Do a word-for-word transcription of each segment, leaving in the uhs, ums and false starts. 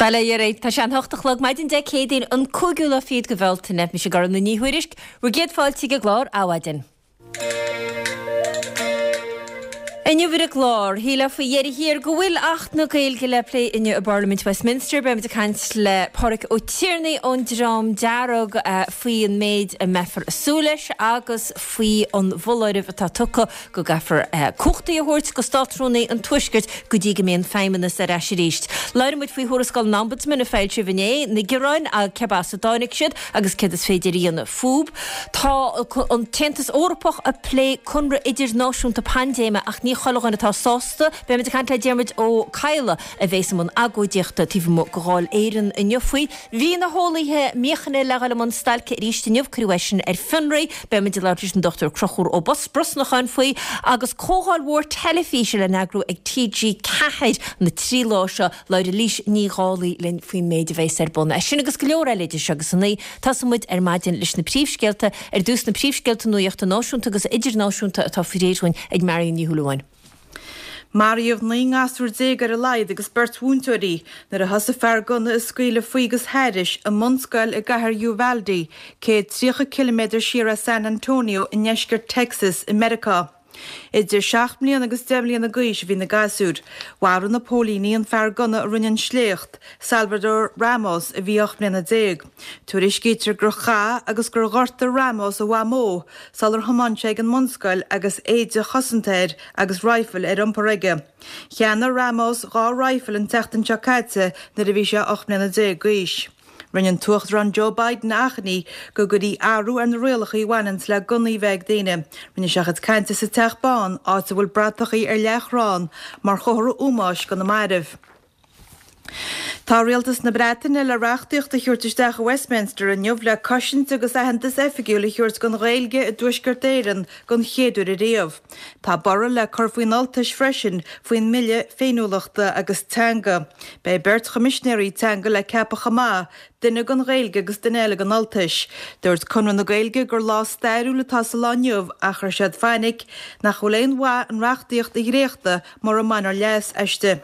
Bail ó Dhia oraibh, tá sé an hocht a chlog maidin Dé Céadaoin an cúigiú lá fichead de Bhealtaine. Mise Gormfhlaith Ní Thuairisg, bhur gcéad fáilte ag an gclár Adhmhaidin. Inniu ar an gclár, shílfeá faoi dheireadh thiar go bhfuil Acht na Gaeilge le plé inniu i bParlaimint Westminster. Beimid ag caint le Pádraig Ó Tiarnaigh ón Dream Dearg faoi an méid a mbeifear ag súil leis agus faoi an bhfoláireamh atá tugtha go gcaithfear cumhachtaí a thabhairt go Státrúnaí an Tuaiscirt go dtí go mbeidh an Feidhmeannas ar ais arís. Labhróidh muid faoi thuarascáil an Ombudsman a foilsíodh inné, na gearáin, cé as a dtáinig siad agus céard is féidir a dhéanamh fúthu. Tá an tAontas Eorpach ag plé conradh idirnáisiúnta paindéime ach ní chuile dhuine atá sásta. Beimid ag caint le Diarmuid Ó Cadhla a bhéas i mbun agóidíochta taobh amuigh de Dháil Éireann inniu faoi. Bhí na heolaithe míochaine le dhul i mbun stailce arís inniu, cuireadh é sin ar fionraí. Beimid ag labhairt leis an Dochtúir Conchúr Ó Brosnacháin faoi agus comhdháil mhór teilifíse le n-eagrú ag T G ceathair na trí lá seo. Labhróidh Eilís Ní Dhálaigh linn faoin méid a bhéas ar bun. É sin agus go leor eile idir seo agus a naoi. Tosóidh muid ar maidin leis na príomhscéalta. Ar dtús na príomhscéalta nuachta náisiúnta agus idirnáisiúnta atá faoi réir dhúinn ag Marion Ní Shúilleabháin. Maraíodh naoi ngasúr déag ar a laghad agus beirt mhúinteoirí nuair a thosaigh fear gunna ag scaoileadh faoi agus thairis i mbunscoil i gcathair Uvalde, céad tríocha ciliméadar siar as San Antonio i ndeisceart Texas i Meiriceá. Idir seacht mbliana agus deich mbliana d'aois a bhí na gasúir. Mharaigh na póilíní an fear gunna a rinne an sléacht, Salvador Ramos, a bhí ocht mbliana déag. Tuairiscítear gur chaith agus gur ghortaigh Ramos a mhamó sular thiomáin sé ag an mbunscoil agus éide chosanta air agus raidhfil ar iompar aige. Cheannaigh Ramos dhá raidhfil an tseachtain seo caite nuair a bhí sé ocht mbliana déag d'aois. Rinne an tUachtarán Joe Biden achainí go gcuirfí athrú ar na rialacha a bhaineanns le gunnaí a bheith ag daoine. Rinne sé a chuid cainte sa Teach Bán, áit a bhfuil bratachaí ar leathchrann mar chomhartha ómóis do na mairbh. Tá Rialtas na Breataine le reachtaíocht a thabhairt isteach i Westminster inniu le cosaint agus aitheantas oifigiúil a thabhairt don Ghaeilge i dTuaisceart Éireann don chéad uair ariamh. Tá borradh le cur faoin Ultais freisin faoin mBille Féiniúlachta agus Teanga. Beidh beirt choimisinéirí teanga le ceapadh chomh maith, duine don Ghaeilge agus duine eile don Ultais. Dúirt Conradh na Gaeilge gur lá stairiúil atá sa lá inniu ach chuir siad fainic nach bhfuil aon mhaith an reachtaíocht a dhréachtadh mura mbainfear leas aisti.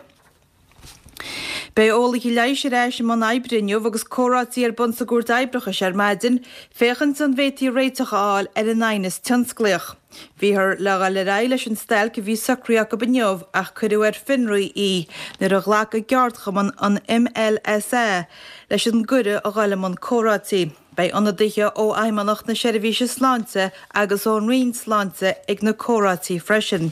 Beidh eolaithe leighis ar ais i mbun oibre inniu agus comhráití ar bun sa gCúirt Oibreachais ar maidin féachaint an bhféadfaí réiteach a fháil ar an aighneas tionsclaíoch. Bhíothar le dhul ar aghaidh leis an stailc a bhí socraithe acu inniu ach cuireadh ar fionraí í nuair a ghlac a gceardchumann an M L S A leis an gcuireadh a dhul i mbun comhráití. Beidh ionadaithe ó Fheidhmeannacht na Seirbhíse Sláinte agus ón Roinn Sláinte ag na comhráití freisin.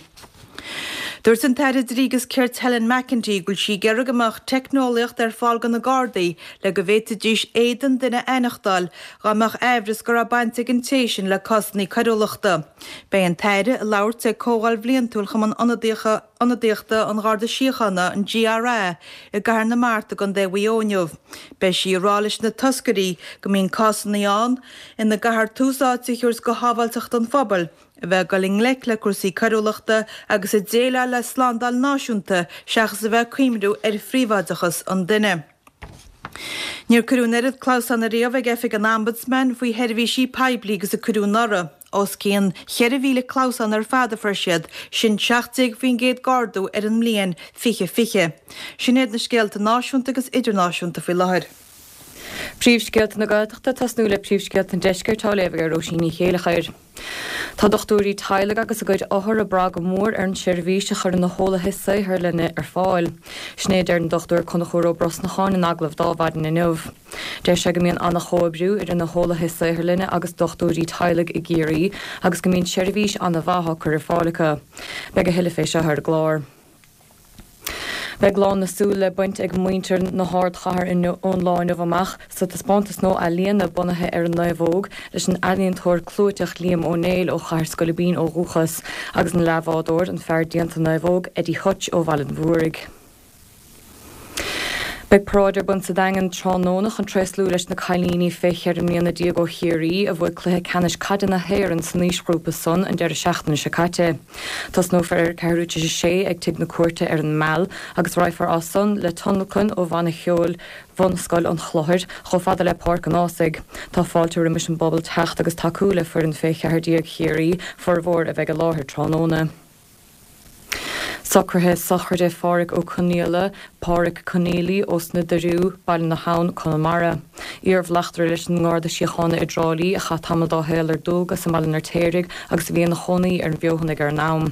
Dúirt an tAire Dlí agus Cirt Helen McEntee go bhfuil sí ag iarraidh go mbeadh teicneolaíocht ar fáil do na Gardaí le go bhféadfaidís éadan duine a aithneachtáil dá mbeadh aimhreas go raibh baint ag an té sin le cásanna coiriúlachta. Beidh an tAire ag labhairt ag Comhdháil Bhliantúil Chumann Ionadaíochta an Gharda Síochána, an G R A, i gCathair na Mart i gContae Mhaigh Eo inniu. Beidh sí ag rá leis na toscairí go mbíonn cásanna ann ina gcaithfear tús áite a thabhairt do shábháilteacht an phobail, a bheith ag dul i ngleic le cúrsaí coiriúlachta agus ag déileáil le slándáil náisiúnta seachas a bheith ag cuimhniú ar phríobháideachas an duine. Níor cuireadh an oiread clamhsán ariamh ag Oifig an Ombudsman faoi sheirbhísí poiblí agus a cuireadh anuraidh. Os cionn cheithre mhíle clamhsán ar fad a fuair siad, sin seacht déag faoin gcéad d'ardú ar an mbliain fiche fiche. Sin iad na scéalta náisiúnta agus idirnáisiúnta faoi láthair. Príomhscéalta na Gaeltachta tosnú le príomhscéalta an Deiscirt á léamh ag Róisín Ní Chéileachair. Tá dochtúirí teaghlaigh agus a gcuid othar ag brath go mór ar an tseirbhís a chuireann na heolaithe saotharlainne ar fáil. Sin é a deir an Dochtúir Conchúr Ó Brosnacháin in agallamh d'Adhmhaidin inniu. Deir sé go mbíonn an-chomhoibriú idir na heolaithe saotharlainne agus dochtúirí teaghlaigh i gCiarraí agus go mbíonn seirbhís an-mhaith á cur ar fáil acu. Beidh a thuilleadh fé seo ar an gclár. Beidh lán na súl le baint ag muintir na hardchathair inniu ón lá inniu amach sa taispeántas nua ealaíona bunaithe ar an naomhóg leis an ealaíontóir clúiteach Liam Ó Néill ó Chathair Scoilbín ó dhúchas agus an leathbhádóir, an fear déanta naomhóg, Eddie Hutch ó Bhaile an Mhúraigh. Beidh paráid ar bun sa Daingean tráthnóna chun tréaslú leis na cailíní fé cheithre mbliana déag ó Chiarraí a bhuaigh cluiche ceannais caide na hÉireann san aoisghrúpa san an deireadh seachtaine seo caite. Tosnófar ar ceathrú tar éis a sé ag Tigh na Cúirte ar an Meal agus raghfar as san le tionlacan ó bhanna cheoil Bhunscoil an Chlochair chomh fada le Páirc an Ághasaigh. Tá fáilte roimis an bpobal teacht agus tacú le foireann fé cheathair déag Chiarraí, formhór a bheidh i láthair tráthnóna. Socruithe sochraide Pháraic Ó Conaola, Páraic Conneely ós na Doiriú, Baile na hAbhann, Conamara. Iarbhleachtaire leis an nGarda Síochána i dTrá Lí a chaith tamall dá shaol ar dualgas i mBaile an Fheirtéaraigh agus a bhí ina chónaí ar an bhFeothanaigh ar an am.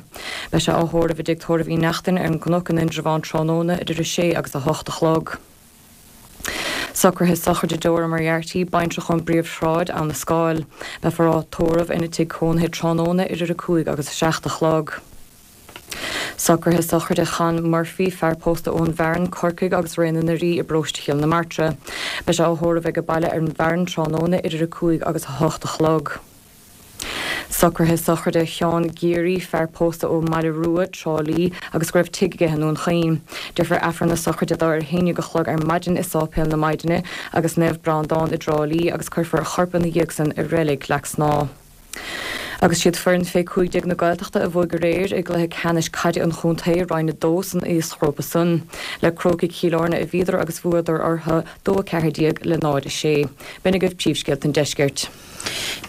Beidh sé á thórramh i dtigh tórraimh Uí Neachtain ar an gCnoc in Indreabhán tráthnóna idir a sé agus a hocht a chlog. Socruithe sochraide Dora Moriarty, baintreach ón bPríomhshráid, Abha na Scáil. Beifear á tórramh ina tigh cónaithe tráthnóna idir a cúig agus a seacht a chlog. Socruithe sochraide Chan Murphy, fear pósta ón bhFearann, Corcaigh agus Raon na nDoirí i bparóiste Chill na Martra. Beidh sé á thórramh ag baile ar an bhFearann tráthnóna idir a cúig agus a hocht a chlog. Socruithe sochraide Sheán Geary, fear pósta ó Mhaile Rua, Trá Lí, agus go raibh tigh aige i nDún Chaoin. Déarfar Aifreann na sochraide dó ar a haon déag a chlog ar maidin i Sáipéal na Maighdine agus Naomh Breandán i dTrá Lí agus cuirfear a chorp ina dhiaidh san i reilig Leac Snáth. Agus siad foireann fé cúig déag na Gaeltachta a bhuaigh aréir i gcluiche ceannais caide an chontae roinn a dó san aoisghrúpa san. Le Crócaigh Chill Airne a bhíodar agus bhuadar orthu dó a ceathair déag le náid a sé. B'in agaibh príomhscéalta an deiscirt.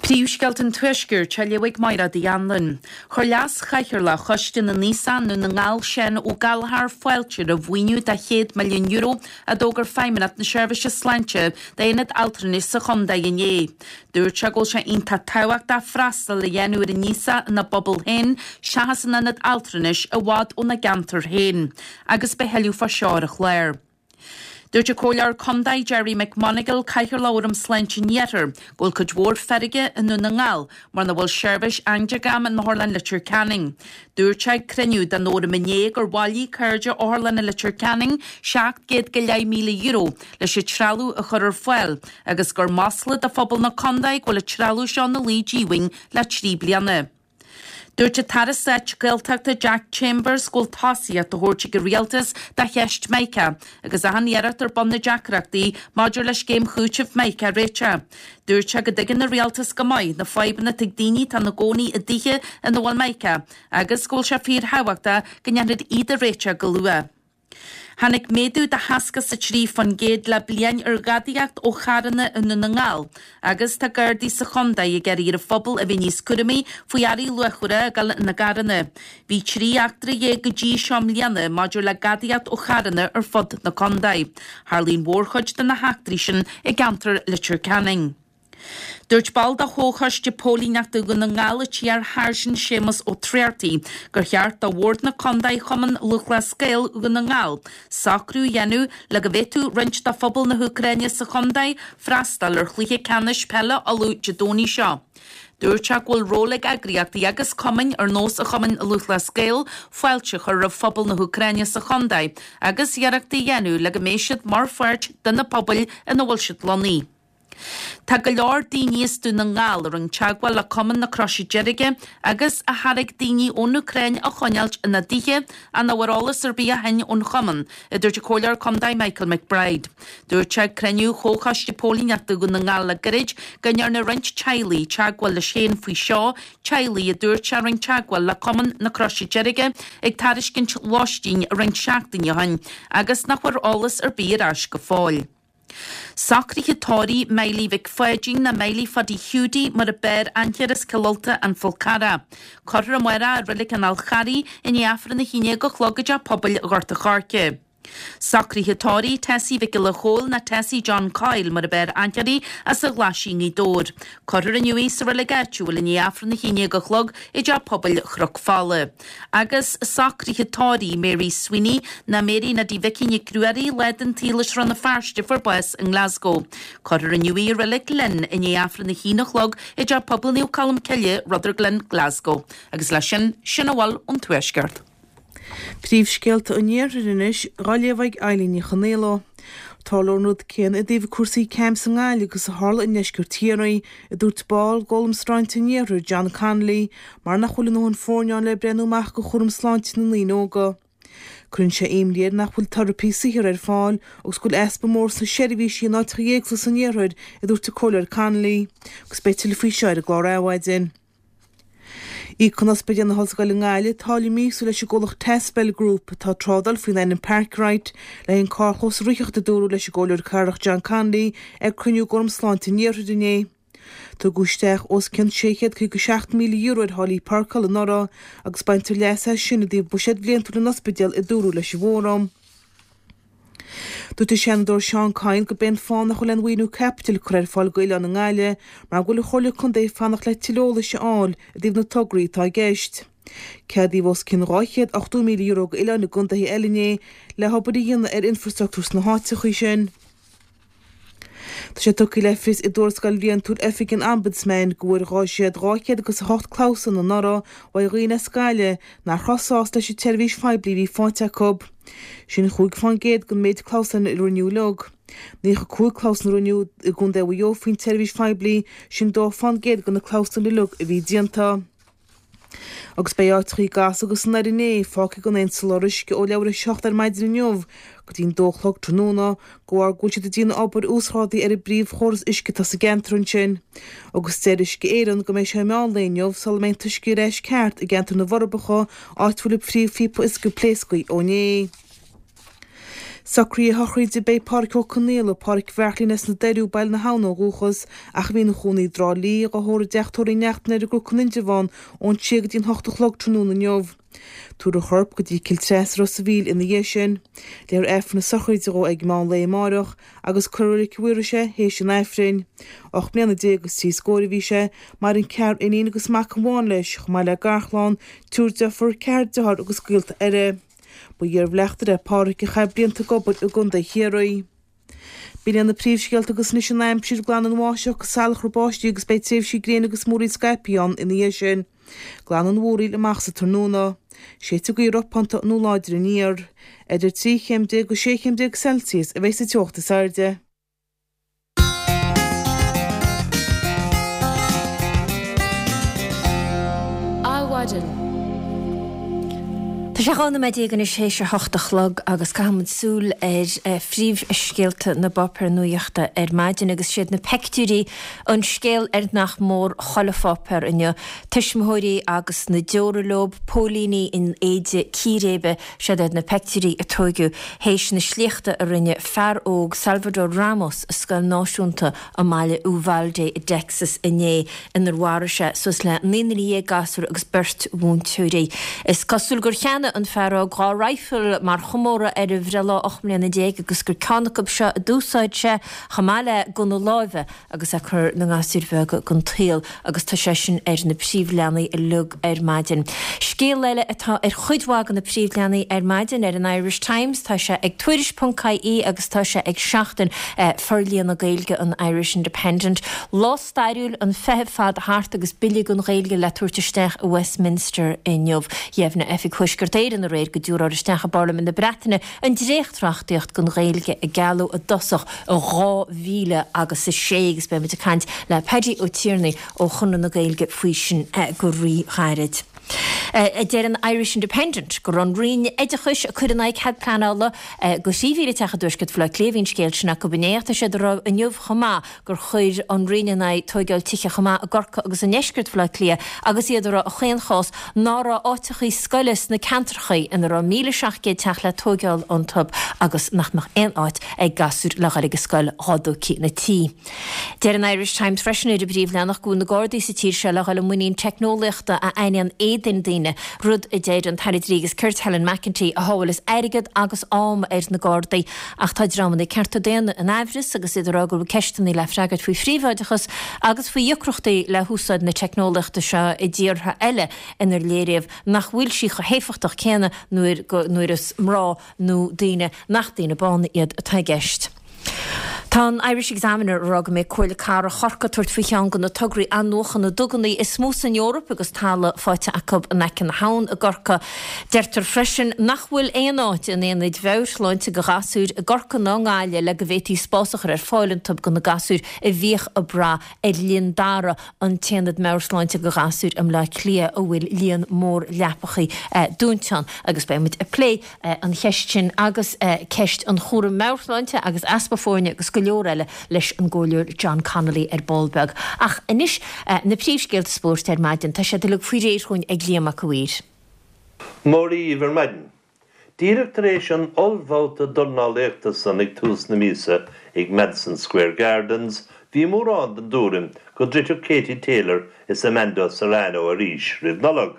Príomhscéalta an Tuaiscirt á léamh ag Máire Uí Anluain. Chuir Leas-Chathaoirleach Choiste na nAosach i nDún na nGall Seán Ó Gallchóir fáilte roimh mhaoiniú de chéad milliún euro a d'fhógair Feidhmeannacht na Seirbhíse Sláinte d'aonad altranais sa chontae inné. Dúirt sé go bhfuil sé iontach tábhachtach freastal a dhéanamh ar an aosach ina bpobal féin seachas in ionad altranais i bhfad óna gceantar féin, agus beidh tuilleadh fá seo ar an chlár. Dúirt an Comhairleoir Contae Gerry McMonagall, Cathaoirleach Fhóram Sláinte an Iarthair, go bhfuil cuid mhór feirge i nDún na nGall mar nach bhfuil seirbhís angiogramma in Otharlann Leitir Ceanainn. Dúirt sé ag cruinniú den fhóram inné gur bhailigh cairde Otharlanna Leitir Ceanainn seacht gcéad go leith míle euro leis an trealamh a chur ar fáil agus gur masla do phobal na contae go bhfuil an trealamh seo ina luí díomhaoin le trí bliana. Dúirt an tAire Stáit Gaeltachta Jack Chambers go bhfuil tosaíocht á thabhairt ag an Rialtas do cheist Mica agus achan iarracht ar bun na deacrachtaí maidir le scéim chúitimh Mica a réiteach. Dúirt sé go dtuigeann an Rialtas go maith na fadhbanna atá ag daoine atá ina gcónaí i dtithe ina bhfuil Mica agus go bhfuil sé fíorthábhachtach go ndéanfar iad a réiteach go luath. Tháinig méadú de sheasca is a trí faoin gcéad le bliain ar ghadaíocht ó charranna i nDún na nGall agus tá Gardaí sa chontae ag iarraidh ar an phobal a bheith níos cúramaí faoi earraí luachmhara a ghabháil ina gcarranna. Bhí trí eachtra dhéag go dtí seo i mbliana maidir le gadaíocht ó charranna ar fud na contae. Tharlaigh an mhórchuid de na heachtraí sin i gceantar Leitir Ceanainn. Dúirt ball de Chomhchoiste Póilíneachta Dhún na nGall, an t-iar-Sháirsint Séamus Ó Tráortaigh, gur cheart do Bhord na Contae Chumann Lúthchleas Gael Dhún na nGall socrú a dhéanamh le go bhféadfadh roinnt de phobal na hÚcráine sa chontae freastal ar chluiche ceannais peile Uladh Dé Domhnaigh seo. Dúirt sé go bhfuil ról ag eagraíochtaí agus cumainn ar nós an Chumainn Lúthchleas Gael fáilte a chur roimh phobal na hÚcráine sa chontae agus iarrachtaí a dhéanamh le go mbeidh siad mar pháirt de na pobail ina bhfuil siad lonnaithe. Tá go leor daoine as Dún na nGall a rinne teagmháil le Cumann na Croise Deirge agus a thairg daoine ón Úcráin a choinneáilt ina dtithe ach nach bhfuair eolas ar bith ó shin ón chumann, a dúirt an Comhairleoir Contae Michael McBride. Dúirt sé ag cruinniú Chomhchoiste Póilíneachta Dhún na nGall le gairid go ndearna roinnt teaghlaigh teagmháil leis féin faoi seo, teaghlaigh a dúirt sé a rinne teagmháil le Cumann na Croise Deirge ag tairiscint lóistín roinnt seachtainí ó shin agus nach bhfuair eolas ar bith ar ais go fóill. Socruithe tórraimh Miley Mhic Pháidín nó Miley Phaddy Hiúdaí mar a b'fhearr aithne air as Cill Ulta an Fál Carrach. Cuirfear amárach i Reilig an Fháil Charraigh i ndiaidh Aifreann a haon déag a chlog i dTeach Pobail Ghort an Choirce. Socruithe tórraimh Tessie Mhic Giolla Chóill nó Tessie John Coyle mar a b'fhearr aithne uirthi as an Ghlaisín Gaoth Dobhair. Cuirfear inniu í sa reilig áitiúil i ndiaidh Aifreann a haon déag a chlog i dTeach Pobail Chnoc Fola. Agus socruithe tórraimh Mary Sweeney nó Mary Neidí Mhicí Nic Ruairí lá den tsaol as Rann na Feirste a fuair bás i nGlasgow. Cuirfear inniu í i Reilig Ghlinn i ndiaidh Aifreann a haon a chlog i dTeach Pobail Naomh Colm Cille, Rutherglen, Glasgow. Agus leis sin, sin a bhfuil ón Tuaisceart. Príomhscéalta an Iarthair anois, á léamh ag Eilín Ní Chonaola. Tarlóidh an rud céanna i dtaobh cúrsaí CAMHS i nGaillimh agus a tharla i ndeisceart Chiarraí, a dúirt ball d'Fhóram Sláinte an Iarthair, John Connolly, mar nach bhfuil a ndóthain foirne ann le breathnú amach do chúram sláinte na ndaoine óga. Cuireann sé imní air nach bhfuil teiripí saothair ar fáil agus go bhfuil easpa mór sna seirbhísí in áiteacha éagsúla san iarthar, a dúirt an Comhairleoir Connolly. Agus beidh tuilleadh faoi seo ar an gclár Adhmhaidin. Íocann Ospidéal na hOllscoile i nGaillimh táille míosúil leis an gcomhlacht Taspel Group, atá ag trádáil faoin ainm Parkrite, le haghaidh an carrchlós a ritheacht, a dúradh leis an gComhairleoir Cathrach John Connolly ag cruinniú d'Fhóram Sláinte an Iarthair inné. Tugadh isteach os cionn sé chéad caoga seacht míle euro ar tháillí páirceála anuraidh agus baintear leas as sin i dtaobh buiséad bhliantúil an ospidéil, a dúradh leis an bhFóram. Dúirt an Seanadóir Seán Kyne gurb é an fáth nach bhfuil aon mhaoiniú caipitil curtha ar fáil d'oileáin i nGaillimh mar go bhfuil an Chomhairle Contae ag fanacht le tuilleadh eolais a fháil i dtaobh na tograí atá i gceist. Ceadaíodh os cionn dhá chéad ochtó míle euro d'oileáin i gcontaetha eile inné le hobair a dhéanamh ar infrastruchtúr sna háiteacha sin. Tá sé tugtha le fios i dtuarascáil bhliantúil Oifig an Ombudsman go bhfuair siad dhá chéad agus a hocht clamhsán anuraidh ó dhaoine as Gaillimh nach raibh sásta leis an tseirbhís phoiblí a bhí faighte acu. Sin chúig fán gcéad den méid clamhsán a rinneadh uilig. Naocha cúig clamhsán a rinneadh i gContae Mhaigh Eo faoin tseirbhís phoiblí, sin dó fán gcéad de na clamhsáin uilig a bhí déanta. Agus beidh áiteachaí i gCas agus i nDoire Né fágtha gan aon soláthar uisce ó leathuair théis a seacht ar maidin inniu go dtí'n dó a chlog tráthnóna de bharr go bhfuil siad ag déanamh obair uasghrádaithe ar an bpríomhchóras uisce atá sa gceantar ansin. Agus deir Uisce Éireann go mbeidh sé meán lae inniu sula mbeidh an t-uisce ar ais ceart i gceantar na bhForbacha, áit a bhfuil an phríomhphíopa uisce pléasctha ó inné. Socruithe a shochraide Beidh Pádraic Ó Conaola, Pádraic Bheairtlín as na Doirí, Baile na hAbhann ó dhúchas, ach a bhí ina chónaí i dTrá Lí, dhá thórramh i dTeach Tórraimh Uí Neachtain ar an gCnoc in Indreabhán ón trí go dtí'n hocht a chlog tráthnóna inniu. Tabharfar a chorp go dtí Cill Treasa, Ros a' Mhíl ina dhiaidh sin. Léifear Aifreann na sochraide dhó ag meán lae amáireach agus cuirfear i Reilig an Mhaorais é théis an Aifrinn. Ocht mbliana déag agus trí scóir a bhí sé, maireann ceathrar iníon agus mac amháin leis, chomh maith le garchlann, triúr deirfiúr, ceathrar dearthár agus gaolta eile. Ba iarbhleachtaire é Pádraic a chaith blianta ag obair i gContae Chiarraí. B'in iad na príomhscéalta agus anois an aimsir, Glanfaidh an bháisteach agus salachar báistí agus beidh tréimhsí gréine agus múraíl scaipthe ann ina dhiaidh sin. Glanfaidh an mhúraíl amach sa tráthnóna. Séidfidh gaoth ropánta nó láidir aniar. Idir trí chéim déag agus sé chéim déag Celsius a bheidh sa teocht is airde. Adhmhaidin. Tá sé dhá nóiméad déag anois théis a hocht a chlog agus caithfidh muid súil ar phríomhscéalta na bpáipéar nuachta ar maidin agus siad na peictiúirí an scéal ar nach mór chuile pháipéar inniu. Tuismitheoirí agus na deora leo, póilíní in éide círéibe, siad iad na peictiúirí a tóigeadh théis na sléachta a rinne fear óg Salvador Ramos i scoil náisiúnta i mbaile Uvalde i dTexas inné inar mharaigh sé suas le naoi nduine dhéag gasúr agus beirt mhúinteoirí. Is cosúil gur cheannaigh an fear óg dhá raidhfil mar chomóradh ar a bhreithlá ocht mbliana déag agus gur ceann acu seo a d'úsáid sé chomh maith le gunna láimhe agus é ag cur na ngasúr bheag den tsaol agus tá sé sin ar na príomhleathanaigh uilig ar maidin. Scéal eile atá ar chuid mhaith de na príomhleathanaigh ar maidin ar an Irish Times, tá sé ag Tuairisc ponc ie agus tá sé ag Seachtain Forlíonadh Gaeilge an Irish Independent. Lá stairiúil, an feitheamh fada thart agus bille don Ghaeilge le tabhairt isteach i Westminster inniu. Dheimhnigh Oifig Thuaisceart Éireann aréir go dtabharfar isteach i bParlaimint na Breataine an dréachtreachtaíocht don Ghaeilge a gealladh i dtosach i dhá mhíle agus a sé agus beidh muid ag caint le Paddy Ó Tiarnaigh ó Chonradh na Gaeilge faoi sin go rí-ghairid. Deir an Irish Independent go raibh an Roinn Oideachais ag cur in aghaidh cead pleanála do thrí mhíle teach i dtuaisceart Bhaile Átha Cliath. Bhí an scéal sin acu inné ach tá siad ag rá inniu chomh maith gur chuir an Roinn in aghaidh tóigeáil tithe chomh maith i gCorcaigh agus i ndeisceart Bhaile Átha Cliath agus iad ag rá a chaonchás ná raibh áiteachaí scoile sna ceantrachaí ina raibh míle seacht gcéad teach le tóigeáil iontu agus nach mbeadh aon áit ag gasúir le dhul ag an scoil dhá dtógfaí na tithe. Deir an Irish Times freisin ar an bpríomhleathanach go bhfuil na Gardaí sa tír seo le dhul i muinín teicneolaíochta a aithníonn éadain daoine, rud a deir an tAire Dlí agus Cirt Helen McEntee a shábhálfas airgead agus am ar na Gardaí. Ach tá dreamanna cearta daonna in aimhreas agus iad ag rá go bhfuil ceisteanna le freagairt faoi phríobháideachas agus faoi dheacrachtaí le húsáid na teicneolaíochta seo i dtíortha eile inar léiríodh nach bhfuil sí chomh héifeachtach céanna nuair nuair is mná nó daoine nach daoine bána iad atá i gceist. Tá an Irish Examiner ag rá go mbeidh Comhairle Cathrach Chorcaí ag tabhairt faoi cheann de na tograí athnuachana duganna is mó san Eoraip agus talamh faighte acu in aice na habhann i gCorcaigh. Deirtear freisin nach bhfuil aon áit in aonaid mheabhairshláinte do ghasúir i gCorcaigh ná i nGaillimh le go bhféadfaí spás a chur ar fáil iontu do na gasúir a bhíodh ag brath ar Linn Dara, an t-aonad meabhairshláinte do ghasúir i mBleá Cliath a bhfuil líon mór leapachaí dúnta ann agus beidh muid ag plé an cheist sin agus ceist an chúraim meabhairshláinte agus easpa foirne agus go leor eile leis an gComhairleoir John Connolly ar ball beag. Ach anois na príomhscéalta spóirt ar maidin, tá siad uilig faoi réir chugainn ag Liam Mac a' Mhaoir. Mora dhaoibh ar maidin. Díreach tar éis an ollbhabhta dornálaíochta san ag tús na míosa ag Madison Square Gardens, Bhí mórán den dtuairim go dtroidfeadh Katie Taylor is Amanda Serrano arís roimh Nollaig,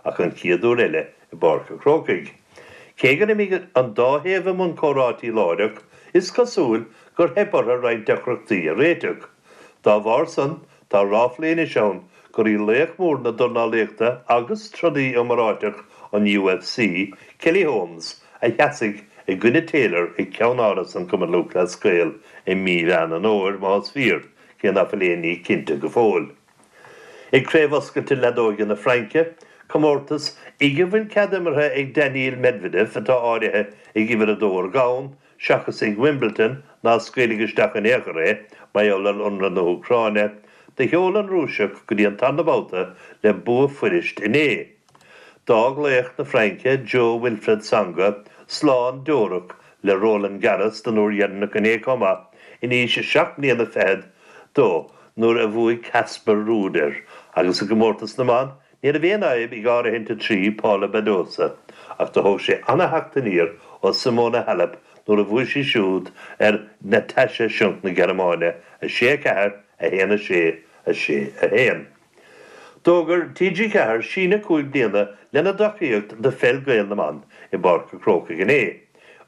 ach an chéad uair eile i bPáirc an Chrócaigh. Cé gur imigh an dá thaobh i mbun comhráití láithreach, is cosúil gur theip orthu roinnt deacrachtaí a réiteach. Dá bharr san, tá ráflaí anois ann gur í laoch mór na dornálaíochta agus trodaí iomráiteach an UFC, Kelly Holmes, a sheasfaidh i gcoinne Taylor ag Ceannáras an Chumann Lúthchleas Gael i mí Mheán an Fhómhair, más fíor, cé ná fuil aon ní cinnte go fóill. Ag Craobh Oscailte Leadóige na Fraince, comórtas ag a bhfuil cead imeartha ag Daniil Medvedev, atá áirithe ag uimhir a dó ar domhan, seachas ag Wimbledon, ná scaoilfeadh isteach in aon chor é, mar gheall ar ionradh na hÚcráine, do sheol an Rúiseach go dtí an tarna babhta le bua fuirist inné. D'fhág laoch na Fraince, Jo-Wilfried Tsonga, slán deorach le Roland Garros don uair dheireanach inné chomh maith, in aois seacht mbliana fichead dó nuair a bhuaigh Casper Ruud air, agus i gcomórtas na mban, ní raibh aon fhadhb ag áirithint a trí Paula Badosa, ach do thóg sé ana-theacht aniar ó Simona Halep nuair a bhuaigh sí siúd ar Natascha Schunk na Gearmáine, a sé a ceathair, a haon a sé, a sé a haon. D'fhógair T G ceathair síneadh cúig bliana lena dtacaíocht do Pheil Gael na mBan i bPáirc an Chrócaigh inné,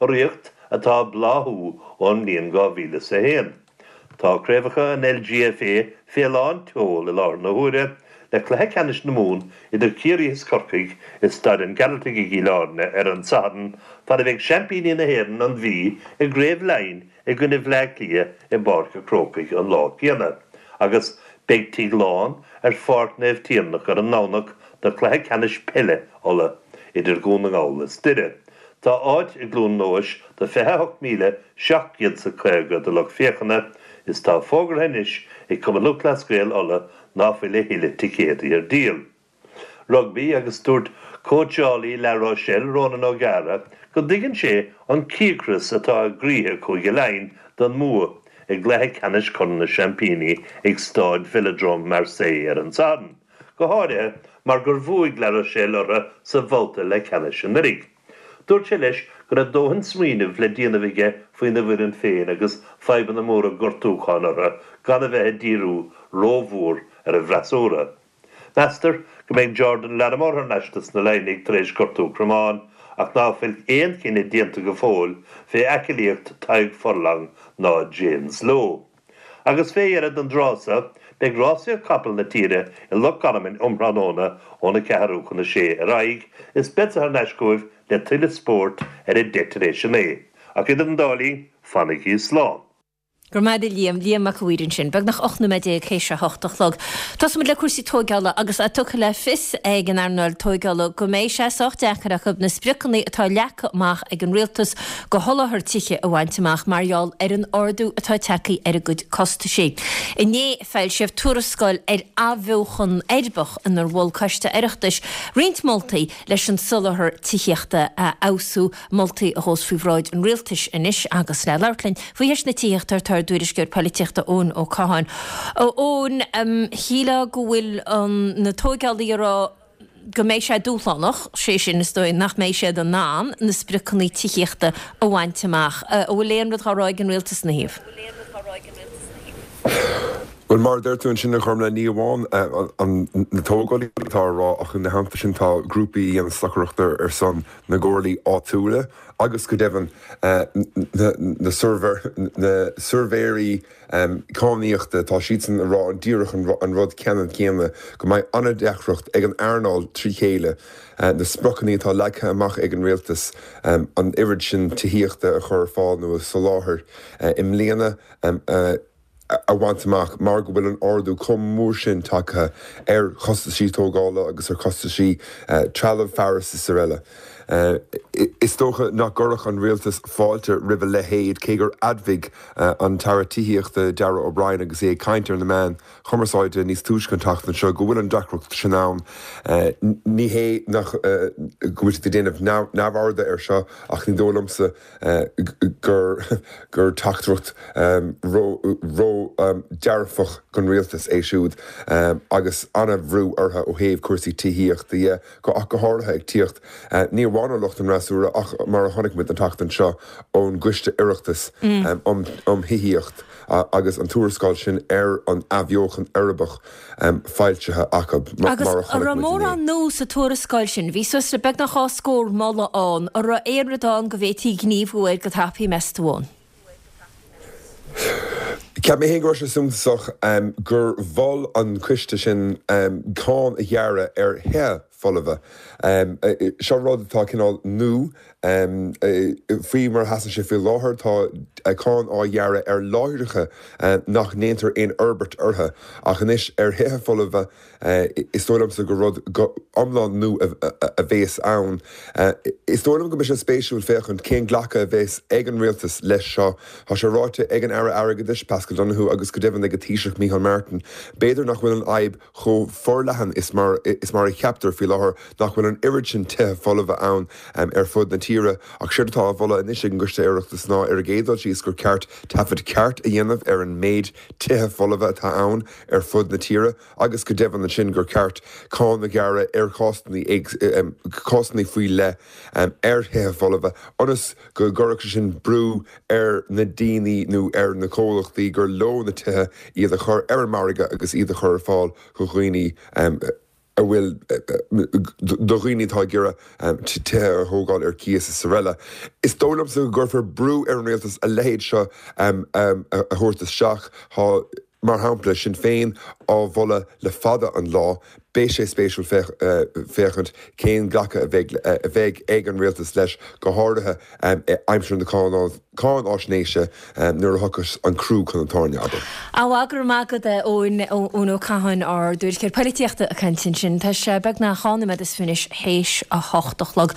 urraíocht atá ag bláthú ón mbliain dhá mhíle is a haon. Tá craobhacha an L G F A fé lán tseoil i láthair na huaire, le cluiche ceannais na Mumhan idir Ciarraí is Corcaigh i Staid an Ghearaltaigh i gCill Airne ar an Satharn, fad a bheidh seaimpíní na hÉireann, an Mhí, i gCraobh Laighean i gcoinne Bhleá Cliath i bPáirc an Chrócaigh an lá céanna. Agus beidh tigh lán ar Pháirc Naomh Tiarnach ar an nDomhnach do chluiche ceannais peile Uladh idir Dhún na nGall is Doire. Tá áit i gCluain Eois do fiche a hocht míle seacht gcéad 's a caoga de lucht féachana is tá fógartha anois ag Cumann Lúthchleas Gael Uladh ná fuil a thuilleadh ticéadaí ar díol. Rugbaí agus dúirt cóitseálaí La Rochelle, Ronan O'Gara, go dtuigeann sé an cíocras atá i gcroíthe Chúige Laighean don mbua i gcluiche ceannais Chorn na Seaimpíní ag Stáid Velodrome Marseille ar an Satharn, go háirithe mar gur bhuaigh La Rochelle orthu sa bhabhta leathcheannais anuraidh. Dúirt sé leis go raibh dóthain smaoinimh le déanamh aige faoina bhfoireann féin agus fadhbanna móra gortúcháin orthu gan a bheith ag díriú rómhór ar an bhfreasúra. Meastar go mbeidh Jordan Larmour thar n-ais dos na Laighnigh tar éis gortú cromáin ach ná fuil aon chinneadh déanta go fóill fé aclaíocht Tadhg Furlong ná James Lowe. Agus fé dheireadh don dtráth so, beidh rásaíocht capall na tíre i Loch Garman um thráthnóna óna ceathrú chun a sé ar aghaidh is beadsa thar n-ais chugaibh le tuilleadh spóirt ar a deich tar éis a naoi. Ach idir an dá linn, fanaigí slán. Go raibh maith agat a Liam, Liam Mac a' Mhaoir ansin. Beagnach ocht nóiméad déag théis a hocht a chlog. Tosóimid le cúrsaí tóigeála agus é tugtha le fios ag an earnáil tóigeála go mbeidh sé sách deacair acu na spriocanna atá leagtha amach ag an rialtas do sholáthar tithe a bhaint amach mar gheall ar an ardú atá tagtha ar a gcuid costaisí. Inné foilsíodh tuarascáil ar athbheochan uirbeach inar mhol Coiste Oireachtais roinnt moltaí leis an soláthar tithíochta a fheabhsú, moltaí a ghabhfas faoi bhráid an rialtais anois agus le labhairt linn faoi cheist na tithíochta tá ár dtuairisceoir polaitíochta Eoin Ó Catháin. Eoin, shílfeá go bhfuil na tóigeálaithe ag rá go mbeidh sé dúshlánach, sé sin is dóigh nach mbeidh siad in ann na spriocanna tithíochta a bhaint amach. An bhfuil aon rud á rá ag an rialtas ina thaobh? Bhuel, mar a deir tú ansin, a Ghormfhlaith, ní amháin na tógálaithe atá á rá ach ina theannta sin tá grúpaí a dhéanann stocaireacht ar son na gcomhairlí áitiúla agus go deimhin na suirbhéirí cadhnaíochta, tá siadsan ag rá díreach an rud ceannann céanna, go mbeidh an-deacracht ag an earnáil trí chéile na spriocanna atá leagtha amach ag an rialtas an oiread sin tithíochta a chur ar fáil nó a soláthar i mbliana a bhaint amach mar go bhfuil an ardú chomh mór sin tagtha ar chostaisí tógála agus ar chostaisí trealamh, fearas is araile. Is dócha nach gcuirfeadh an rialtas fáilte roimh a leithéid, cé gur admhaigh an tAire Tithíochta Darragh O'Brien agus é ag caint ar na meáin chumarsáide níos túisce an tseachtain seo go bhfuil an deacracht sin ann. Ní hé nach go bhfuil siad ag déanamh neamhairde air seo ach ní dóigh liomsa gur gur teachtaireacht ró-dhearfach don rialtas é siúd agus an-bhrú orthu ó thaobh cúrsaí tithíochta dhe, ach go háirithe ag tíocht ní amháin amháin ó lucht an fhreasúra ach mar a chonaic muid an tseachtain seo ón gCoiste Oireachtais um um Thithíocht agus an tuarascáil sin ar an athbheochan uirbeach foilsithe acu mar Agus a an chonaic raibh muid inné. mórán nua sa tuarascáil sin, bhí suas le beagnach dhá scór moladh ann, an raibh aon rud ann go bhféadfaí gníomhú air go tapaidh, meas tú ann? Cheap mé féin go raibh sé suntasach gur mhol an coiste sin cáin a ghearradh ar thithe folmha. Seo rud atá cineál nua. Faoi mar a sheasann sé faoi láthair, tá cáin á ghearradh ar láithreacha nach ndéantar aon fhorbairt orthu, ach anois ar thithe folmha, is dóigh liomsa gur rud iomlán nua a bhéas ann. Is dóigh liom go mbeidh sé spéisiúil féachaint cén glacadh a bhéas ag an rialtas leis seo. Tá sé ráite ag an Aire Airgeadais, Paschal Donohoe agus go deimhin ag an Taoiseach Micheál Martin, b'fhéidir nach bhfuil an fhadhb chomh forleathan is mar is mar a cheaptar faoi láthair, nach bhfuil an oiread sin tithe folmha ann ar fud na tíre. Ach séard atá á mholadh anois ag an gCoiste Oireachtais ná ar an gcéad dul síos gur ceart taifead ceart a dhéanamh ar an méid tithe folmha atá ann ar fud na tíre agus go deimhin ansin gur ceart cáin a ghearradh ar chásanna cásanna faoi leith ar thithe folmha ionas go gcuirfeadh sé sin brú ar na daoine nó ar na comhlachtaí gur leo na tithe iad a chur ar an margadh agus iad a chur ar fáil do dhaoine a bhfuil do dhaoine atá ag iarraidh tithe a thógáil ar cíos is araile. Is dóigh liomsa go gcuirfear brú ar an rialtas a leithéid seo a thabhairt isteach. Tá, mar shampla, Sinn Féin á mholadh le fada an lá. Beidh sé spéisiúil féachaint cén glacadh a bheidh a bheidh ag an rialtas leis, go háirithe aimsir na cáinfháisnéise nuair a thiocfas an crú chun an tairne, abair. Á, go raibh maith agat, Eoin, Eoin Ó Catháin, ár dtuairisceoir polaitíochta ag caint ansin. Tá sé beagnach dhá nóiméad is fiche anois théis a hocht a chlog.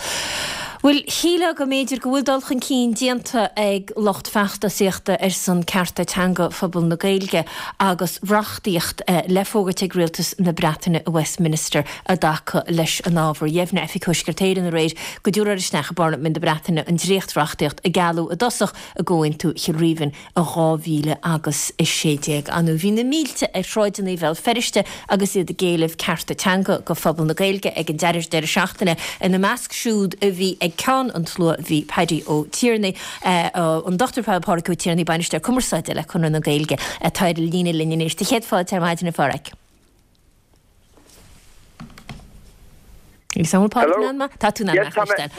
Bhuel, shílfeá go mb'fhéidir go bhfuil dul chun cinn déanta ag lucht feachtasaíochta ar son cearta teanga phobal na Gaeilge agus reachtaíocht le fógairt ag rialtas na Breataine i Westminster i dtaca leis an ábhar. Dheimhnigh Oifig Thuaisceart Éireann aréir go dtabharfar isteach i bParlaimint na Breataine an dréacht-reachtaíocht a gealladh i dtosach i gComhaontú Chill Rímhinn i dhá mhíle agus a sé déag. Anú bhí na mílte ar shráideanna Bhéal Feirste agus iad ag éileamh cearta teanga go phobal na Gaeilge ag an deireadh deireadh seachtaine. Ina measc siúd a bhí ag ceann an tslua bhí Paddy Ó Tiarnaigh, an Dochtúir Pádraig Ó Tiarnaigh, Bainisteoir Cumarsáide le Conradh na Gaeilge, atá ar an líne linn anois. Tá céad fáilte ar maidin, a Phádraig. Agus an bhfuil Pádraig in ann mé? Tá tú in ann mé a chloisteáil.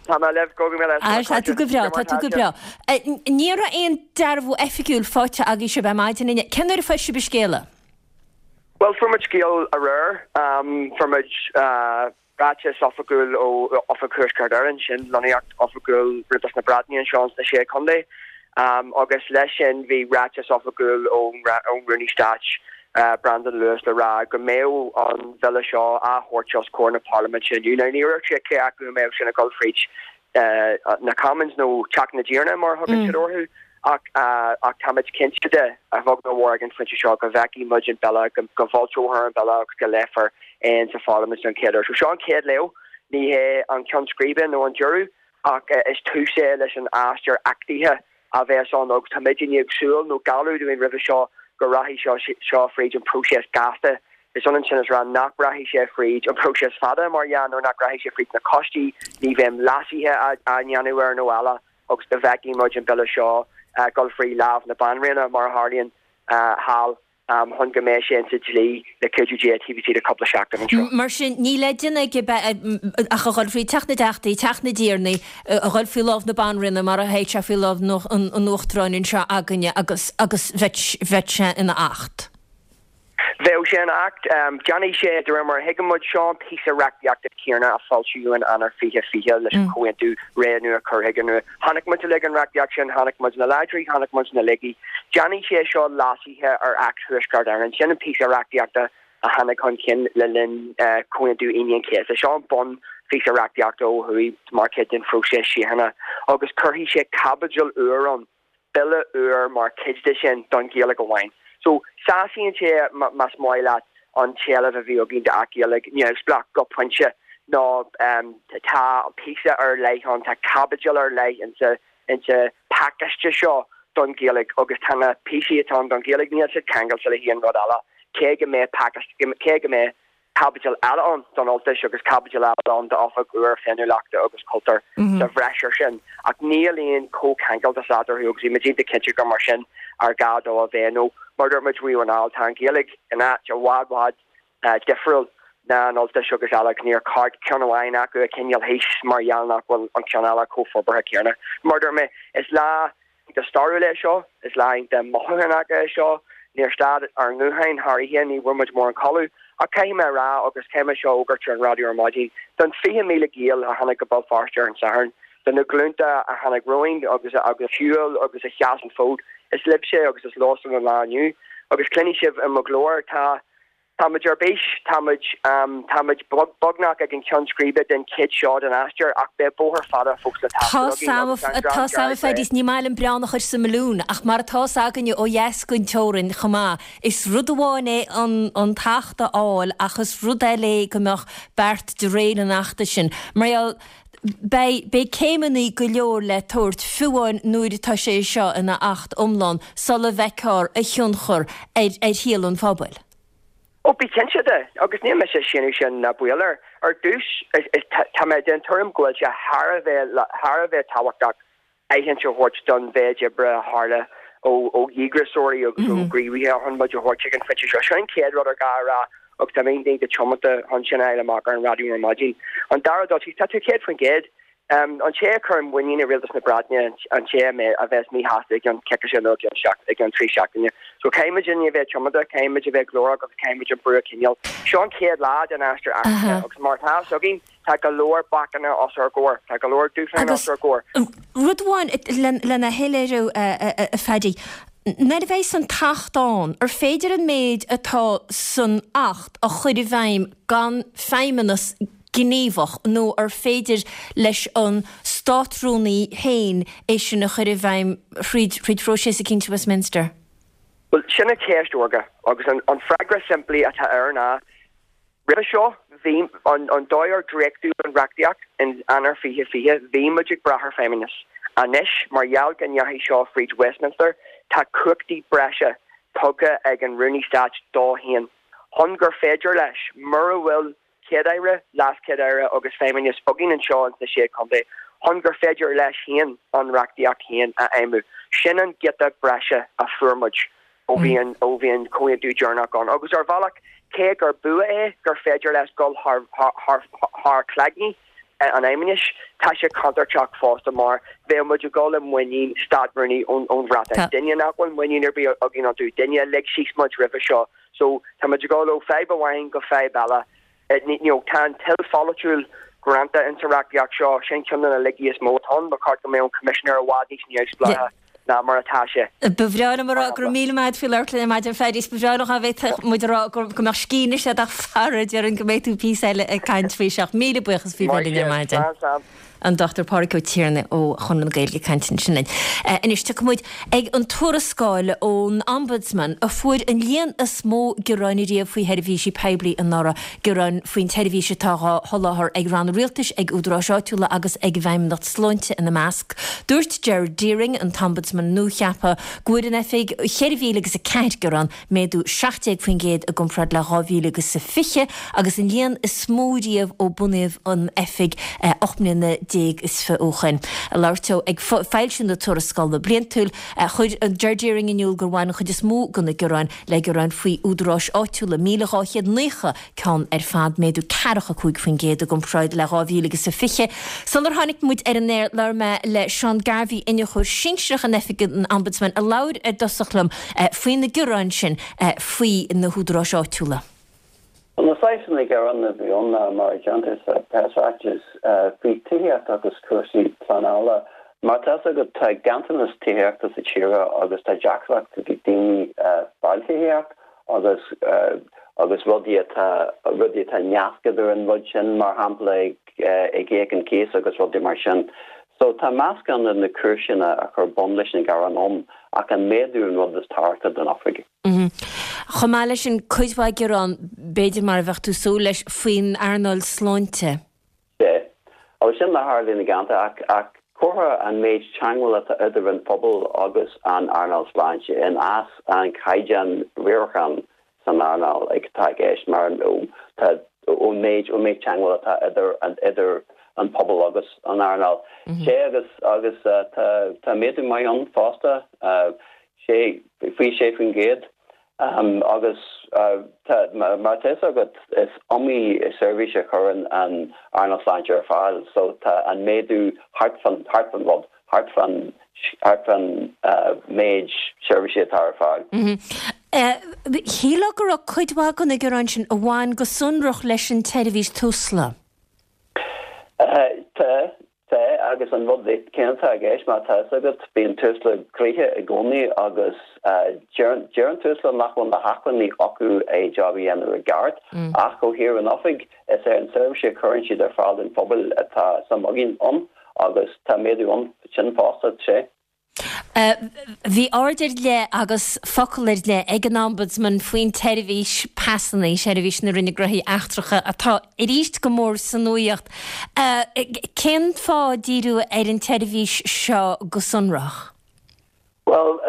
Tá mé libh, go raibh míle maith Tá tú go breá, tá tú go breá. Ní raibh aon dearbhú oifigiúil faighte agaibh sibh ar maidin inniu. Cén uair a fuair sibh an scéala? Bhuel, fuair muid scéal aréir. Fuair muid ráiteas oifigiúil ó Oifig Thuaisceart Éireann, sin lonnaíocht oifigiúil Rialtas na Breataine anseo ins na Sé Chontae, agus leis sin bhí ráiteas oifigiúil ón Rúnaí Stáit, Brandon Lewis le rá go mbeadh an bhille seo á thabhairt os comhair na Parlaiminte inniu. Now ní dúirt sé cé acu a mbeadh sin ag dul fríd na Commons nó Teach na dTiarnaí mar a thugann siad orthu ach ach táimid cinnte de, a bheag nó a mhór ag an phointe seo, go bhfeicfidh muid an bille, go go bhfoilseofar an bille agus go léifear é insa Pharlaimint don chéad uair. So seo an chéad léamh, ní hé an ceann scríbe nó an deireadh ach is tús é leis an aistear achtaithe a bheas ann agus táimid i ndiaidh súil nó gealladh dúinn roimhe seo go rachaidh seo seo fríd an próiseas gasta. Is ionann sin is rá nach rachaidh sé fríd an próiseas fada mar dhea nó nach rachaidh sé fríd na coistí, ní bheidh leasuithe á ndéanamh air nó eile agus go bhfeicfidh muid an bille seo dul frí lámh na Banríona mar a tharlaíonn thall. chun go mbeidh sé insa dlí le cuidiú Dé taobh istigh de cúpla seachtain anseo. Mar sin, níl le déanamh aige ach a dhul faoi Teach na dTeachtaí, Teach na dTiarnaí, a dhul faoi lámh na Banríona mar a théid sé faoi lámh an Uachtaráin anseo againne agus agus bheadh sé ina acht. Bheadh sé ina acht. Déanfaidh sé, de réir mar a thuigeann muid, seo an píosa reachtaíochta céanna a foilsíodh in Eanáir fiche fiche leis an Chomhaontú Ré Nua Cur Chuige Nua. Chonaic muid uilig an reachtaíocht sin, chonaic muid na láidrí, chonaic muid na laigí. Déanfaidh sé seo leasuithe ar Acht Thuaisceart Éireann. Sin an píosa reachtaíochta a tháinig chun cinn le linn Chomhaontú Aoine an Chéasta. Seo an bun-phíosa reachtaíochta ó thuaidh mar chuid den phróiseas síochána agus cuirfidh sé caibidil úr ann, bille úr mar chuid de sin don Ghaeilge amháin. So, sásaíonn sé, más maith leat, an t-éileamh a bhí againn d'Acht Gaeilge neamhspleách go pointe nó tá píosa ar leith ann, tá caibidil ar leith insa insa phacáiste seo don Ghaeilge agus tá na píosaí atá ann don Ghaeilge, níl siad ceangailte le haon rud eile, cé go mbeidh pacáiste, cé go mbeidh Caibidil eile ann don Ultais agus caibidil eile ann d'Oifig úr Féiniúlachta agus Cultúir sa bhreis air sin, ach níl aon chomhcheangaltas eatarthu agus bhí muid iontach cinnte gur mar sin ar gá dó a bheith nó mar dúirt muid riamh anall, tá an Ghaeilge in áit i bhfad bhfad difriúil ná an Ultais agus eile agus níor cheart ceann amháin acu a choinneáil thíos mar gheall nach bhfuil an ceann eile chomh forbartha céanna. Mar dúirt mé, is lá iontach stairiúil é seo, is lá iontach mothúchánach é seo. Níor stad ár ngutháin thar oíche, ní bhfuair muid mórán codladh. Ach caithfidh mé a rá, agus caithfidh mé seo a fhógairt ar an raidió ar maidin, don fiche míle Gael a tháinig go Béal Feirste ar an Satharn, do na glúnta a tháinig romhainn agus a shiúil agus a sheas an fód, is libhse agus is leosan an lá inniu. Agus cluinfidh sibh i mo ghlór, tá. Táimid ar bís, táimid, táimid beagnach ag an cheann scríbe den chuid seo den aistear ach beidh bóthar fada fós le taisteal againn agus an Tá 's a'm a Phaddy, ní maith liom bréan a chur sa mbalún ach mar atá 's againne ó dheas den teorainn chomh maith, is rud amháin é an an tAcht a fháil ach is rud eile é go mbeadh beart de réir an Achta sin. Mar gheall, beidh, beidh céimeanna go leor le tabhairt, fiú amháin nuair atá sé seo ina Acht iomlán, sula bhfeicfear a thionchar ar ar shaol an phobail. Ó, bí cinnte de, agus níl mise ag séanadh sin ná baol air. Ar dtús, tá mé den tuairim go bhfuil sé thar a bheith thar a bheith tábhachtach aithint a thabhairt don mhéid oibre a tharla ó ó dhíograiseoirí agus ó ghníomhaithe chun muid a thabhairt chuig an phointe seo. Sin an chéad rud ar gá a rá agus tá mé iontach tiomanta chun sin a fháil amach ar an raidió ar maidin. An dara dul síos, tá tú céad faoin gcéad. An té a chuireann muinín i rialtas na Breataine, an té a bheas míshásta i gceann coicíse nó i gceann trí seachtaine. So caithfidh muid a bheith tiomanta, caithfidh muid a bheith glórach agus caithfidh muid an brú a choinneáil. Seo an chéad lá den aistear athraithe agus mar atá fhios againn, tá go leor bacanna os ár gcomhair, tá go leor dúshláin os ár gcomhair. Rud amháin lena shoiléiriú, a Phaddy, nuair a bheas an tAcht ann, ar féidir an méid atá san Acht a chur i bhfeidhm gan feidhmeannas gníomhach nó ar féidir leis an Státrúnaí féin é sin a chur i bhfeidhm thríd thríd phróiseas eicínt i Westminster? Bhuel, sin an cheist órga agus an an freagra simplí atá air ná, roimhe seo, bhí an an dóigh ar dréachtadh an reachtaíocht in Eanáir fiche fiche, bhí muid ag brath ar Feidhmeannas. Anois, mar gheall go ndeachaigh seo fríd Westminster, tá cumhachtaí breise tugtha ag an Rúnaí Stáit dó féin chun gur féidir leis, mura bhfuil Céad-Aire, LeasChéad-Aire agus Feidhmeannas againn anseo ins na Sé Chontae chun gur féidir leis féin an reachtaíocht féin a fheidhmiú. Sin an giota breise a fuair muid ó bhí an ó bhí an comhaontú deireanach ann. Agus ar bhealach, cé gur bua é gur féidir leis dul thar thar thar cloigne an Fheidhmeannais, tá sé contúirteach fosta mar bheadh muid ag dul i muinín Státrúnaí ón ón Bhreatain, duine nach bhfuil muinín ar bith againn iontu, duine a lig síos muid roimhe seo. So tá muid ag dul ó fadhb amháin go fadhb eile. You know, tá an toil pholaitiúil greanta insa reachtaíocht seo, sin ceann de na laigí is mó atá ann, ba cheart go mbeadh an Coimisinéir i bhfad níos neamhspleáiche ná mar atá sé. Ba bhreá liom a rá go raibh míle maith agat faoi labhairt linn ar maidin, Phaddy, is ba bhreá liom dá bhféadfadh muid a rá go mbeadh scíth anois agat ach fara, déarfainn go mbeidh tú píosa eile ag caint faoi seo. Míle buíochas faoi bheith linn ar maidin. Maith sibh. Slán, slán. An Dochtúir Pádraig Ó Tiarnaigh ó Chonradh na Gaeilge ag caint ansin linn. Anois tiocfaidh muid ag an tuarascáil ón Ombudsman a fuair an líon is mó gearáin ariamh faoi sheirbhísí poiblí anuraidh, gearáin faoin tseirbhís atá á sholáthar ag ranna rialtais, ag údaráis áitiúla agus ag an bhFeidhmeannacht Sláinte ina measc. Dúirt Gerard Deering, an tOmbudsman nuacheaptha, go bhfuair an oifig cheithre mhíle agus a ceathair gearán, méadú seacht déag faoin gcéad i gcomparáid le dhá mhíle agus a fiche agus an líon is mó riamh ó bunaíodh an oifig ocht mbliana déag is fiche ó shin. Ag labhairt dó ag foilsiú na tuarascála bliantúil, chuir Ger Deering in iúl gur bhain an chuid is mó de na gearáin le gearáin faoi údaráis áitiúla, míle dhá chéad naocha ceann ar fad, méadú ceathracha cúig faoin gcéad i gcomparáid le dhá mhíle agus a fiche. Sular tháinig muid ar an aer, labhair mé le Seán Garvey, Iniúchóir Sinsearach in Oifig an Ombudsman, a labhair ar dtosach liom faoi na gearáin sin faoi na húdaráis áitiúla. Na saghsanna gearán a bhí ann ná, mar a déantar sa preasráiteas, faoi tithíocht agus cúrsaí pleanála. Mar tá fhios agat, tá ganntanas tithíochta sa tír agus tá deacracht ag daoine fáil tithíocht agus agus rudaí atá rudaí atá nasctha idir an rud sin, mar shampla ag íoc an cíos agus rudaí mar sin. So tá meascán de na cúiseanna a chuir bun leis na gearáin ann ach an méadú an rud is tábhachtaí don oifig. Chomh maith leis sin, cuid mhaith gearán, b'fhéidir mar a bheadh tú ag súil leis, faoin earnáil sláinte. Sea. Agus sin a tharlaíonn i gceantar ach ach comhartha an méid teagmháil atá idir an phobal agus an earnáil sláinte in as an caighdeán riaracháin san earnáil atá i gceist mar tá ón méid ón méid teagmháil atá idir an idir an pobal agus an earnáil. Sé agus agus tá tá méadú maith ann fosta sé faoi sé faoin gcéad agus mar tá fhios agat is iomaí seirbhís a chuireann an earnáil sláinte ar fáil so tá an méadú thart fan thart fan rud thart fan thart fan méid seirbhísí atá ar fáil. Shílfeá go raibh cuid mhaith de na gearáin sin a bhain go sonrach leis an tseirbhís Tusla. Tá, tá agus an rud céanna atá i gceist mar tá fhios agat bíonn Tusla gnoitheach i gcónaí agus deir deir an Tusla nach bhfuil na hacmhainní acu é job a dhéanamh i gceart ach ó thaobh an oifig is é an seirbhís a chuireann siad ar fáil don phobal atá suim againn ann agus tá méadú ann sin fosta sé. Bhí aird ar leith agus focal ar leith ag an Ombudsman faoin tseirbhís pasanna, seirbhís na Roinne Gnóthaí Eachtracha, atá arís go mór sa nuaíocht. Cén fáth díriú ar an tseirbhís seo go sonrach? Bhuel,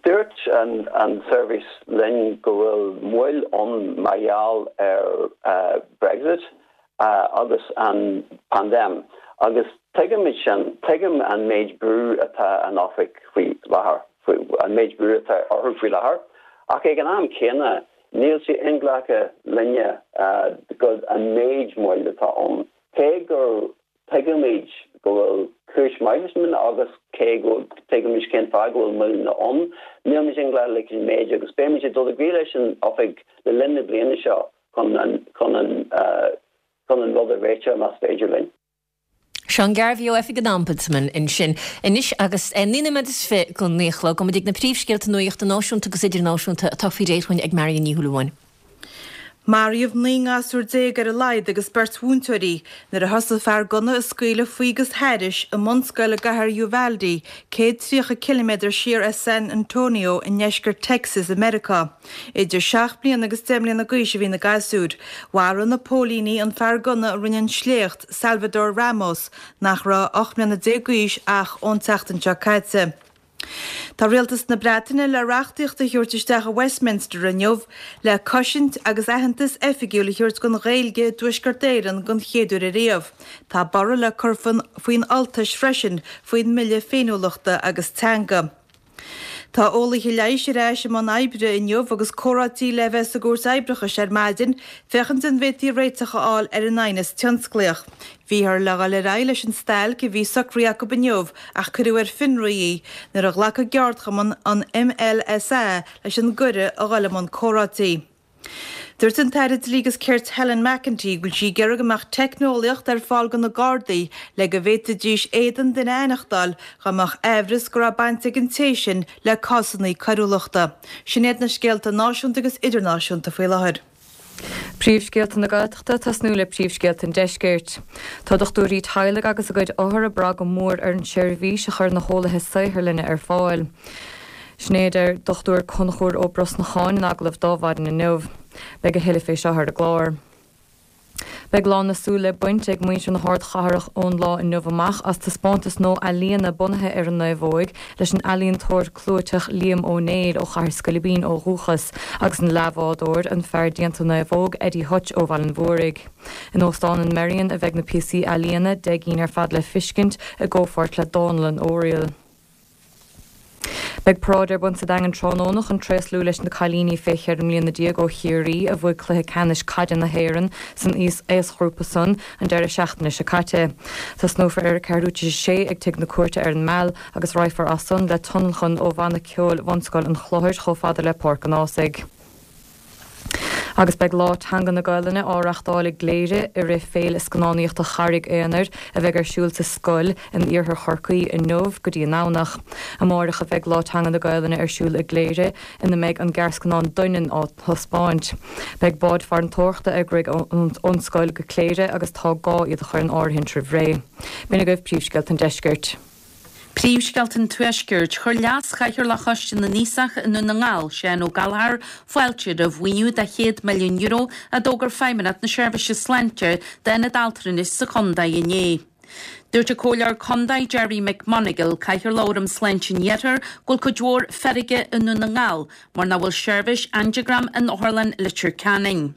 dúirt an an seirbhís linn go bhfuil moill ann mar gheall ar Brexit agus an paindéim agus tuigimid sin, tuigim an méid brú atá an oifig faoi láthair, an méid brú atá orthu faoi láthair, ach ag an am céanna níl sé inghlactha linne go an méid moill atá ann. Cé gur tuigimid go bhfuil cúis maith leis an agus cé go tuigimid cén fáth go bhfuil moilleanna ann, nílimid inghlactha leis an méid agus beimid ag dul i gcomhairle leis an oifig le linn na bliana seo chun an chun an chun an rud a réiteach más féidir linn. Seán Garvey ó Oifig an Ombudsman ansin. Anois agus naoi nóiméad is fiche go naoi a chlog, gabhfaidh muid ag na príomhscéalta nuachta náisiúnta agus idirnáisiúnta atá faoi réir chugainn ag Marion Ní Shúilleabháin. Maraíodh naoi ngasúr déag ar a laghad agus beirt mhúinteoirí nuair a thosaigh fear gunna ag scaoileadh faoi agus thairis i mbunscoil i gcathair Uvalde, céad tríocha ciliméadar siar as San Antonio i ndeisceart Texas i Meiriceá. Idir seacht mbliana agus deich mbliana d'aois a bhí na gasúir. Mharaigh na póilíní an fear gunna a rinne an sléacht, Salvador Ramos, nach raibh ocht mbliana déag d'aois ach ón tseachtain seo caite. Tá Rialtas na Breataine le reachtaíocht a thabhairt isteach i Westminster inniu le cosaint agus aitheantas oifigiúil a thabhairt don Ghaeilge i dTuaisceart Éireann den chéad uair ariamh. Tá borradh le cur faoin Ultais freisin faoin mBille Féiniúlachta agus Teanga. Tá eolaithe leighis ar ais i mbun oibre inniu agus comhráití le bheith sa gCúirt Oibreachais ar maidin féachaint an bhféadfaí réiteach a fháil ar an aighneas tionsclaíoch. Bhíothar le dhul ar aghaidh leis an stailc a bhí socraithe acu inniu ach cuireadh ar fionraí í nuair a ghlac an gceardchumann an MLSA leis an gcuireadh a dhul i mbun comhráití. Dúirt an tAire Dlí agus Cirt Helen McEntee go bhfuil sí ag iarraidh go mbeadh teicneolaíocht ar fáil do na Gardaí le go bhféadfaidís éadan duine a aithneachtáil dá mbeadh aimhreas go raibh baint ag an té sin le cásanna coiriúlachta. Sin iad na scéalta náisiúnta agus idirnáisiúnta faoi láthair. Príomhscéalta na Gaeltachta, tosnú le príomhscéalta an Deiscirt. Tá dochtúirí teaghlaigh agus a gcuid othar ag brath go mór ar an tseirbhís a chuireann na heolaithe saotharlainne ar fáil. Sin é a deir Dochtúir Conchúr Ó Brosnacháin in agallamh d'Adhmhaidin inniu. Beidh a thuilleadh fé seo ar an gclár. Beidh lán na súl le baint ag muintir na hardchathrach ón lá inniu amach as taispeántas nua ealaíona bunaithe ar an naomhóig leis an ealaíontóir clúiteach Liam Ó Néill ó Chathair Scoilbín ó dhúchas agus an leathbhádóir, an fear déanta naomhóg, Eddie Hutch ó Bhaile an Mhúraigh. In Óstán an Merrion a bheidh na píosaí ealaíona, deich gcinn ar fad le fiscint, i gcomhpháirt le Dánlann Oriel. Beidh paráid ar bun sa Daingean tráthnóna chun tréaslú leis na cailíní fé cheithre mbliana déag ó Chiarraí a bhuaigh cluiche ceannais caide na hÉireann san aosghrúpa san an deireadh seachtaine seo caite. Tosnófar ar a ceathrú tar éis a sé ag Tigh na Cúirte ar an Meal agus raghfar as san le tionlacan ó bhanna ceoil Bhunscoil an Chlochair chomh fada le Páirc an Ághasaigh. Agus beidh Lá Teanga na Gaelainne á reachtáil i gCléire i rith Féile Scannánaíochta Charraig Aonair a bheidh ar siúl sa scoil in iarthar Chorcaí inniu go dtí an Domhnach. Amáireach a bheidh Lá Teanga na Gaelainne ar siúl i gCléire ina mbeidh an gearrscannán Doineann á thaispeáint. Beidh báid farantóireachta ag rith ón scoil go Cléire agus tá gá iad a chur in áirithint roimh ré. B'in agaibh príomhscéalta an deiscirt. Príomhscéalta an Tuaiscirt, Chuir Leas-Chathaoirleach Choiste na nAosach i nDún na nGall, Seán Ó Gallchóir, fáilte roimh mhaoiniú de chéad milliún euro a d'fhógair Feidhmeannacht na Seirbhíse Sláinte d'Ionad Altranais sa chontae inné. Dúirt an Comhairleoir Contae Gerry McMonagle, Cathaoirleach Fhóram Sláinte an Iarthair, go bhfuil cuid mhór feirge i nDún na nGall mar nach bhfuil seirbhís angiogram in Otharlann Leitir Ceanainn.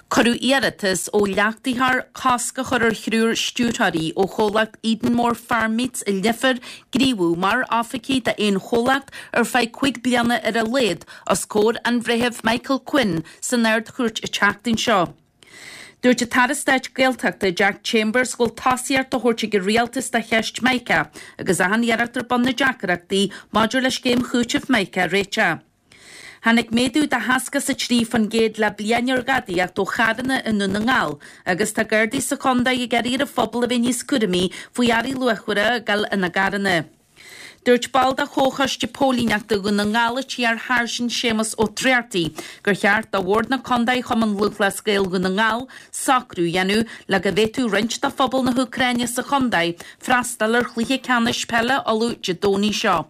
Cuireadh iarratas ó leachtaitheoir cosc a chur ar thriúr stiúrthóirí ó chomhlacht Edenmore Farm Meats i Leifear gníomhú mar oifigigh d'aon chomhlacht ar feadh cúig bliana ar a laghad os comhair an Bhreithimh Michael Quinn san Ard-Chúirt an tseachtain seo. Dúirt an tAire Stáit Gaeltachta Jack Chambers go bhfuil tosaíocht á thabhairt ag an Rialtas do cheist Mica agus achan iarracht ar bun na deacrachtaí maidir le scéim chúitimh Mica a réiteach. Tháinig méadú de sheasca is a trí faoin gcéad le bliain ar ghadaíocht ó charranna i nDún na nGall agus tá Gardaí sa chontae ag iarraidh ar an phobal a bheith níos cúramaí faoi earraí luachmhara ag dul ina gcarranna. Dúirt ball de Chomhchoiste Póilíneachta Dhún na nGall an t-iar-Sháirsint Séamus Ó Tráchtaigh gur cheart do Bhord na Contae Chumann Lúthchleas Gael Dhún na nGall socrú a dhéanamh le go bhféadfadh roinnt de phobal na hÚcráine sa chontae freastal ar chluiche ceannais peile Uladh Dé Domhnaigh seo.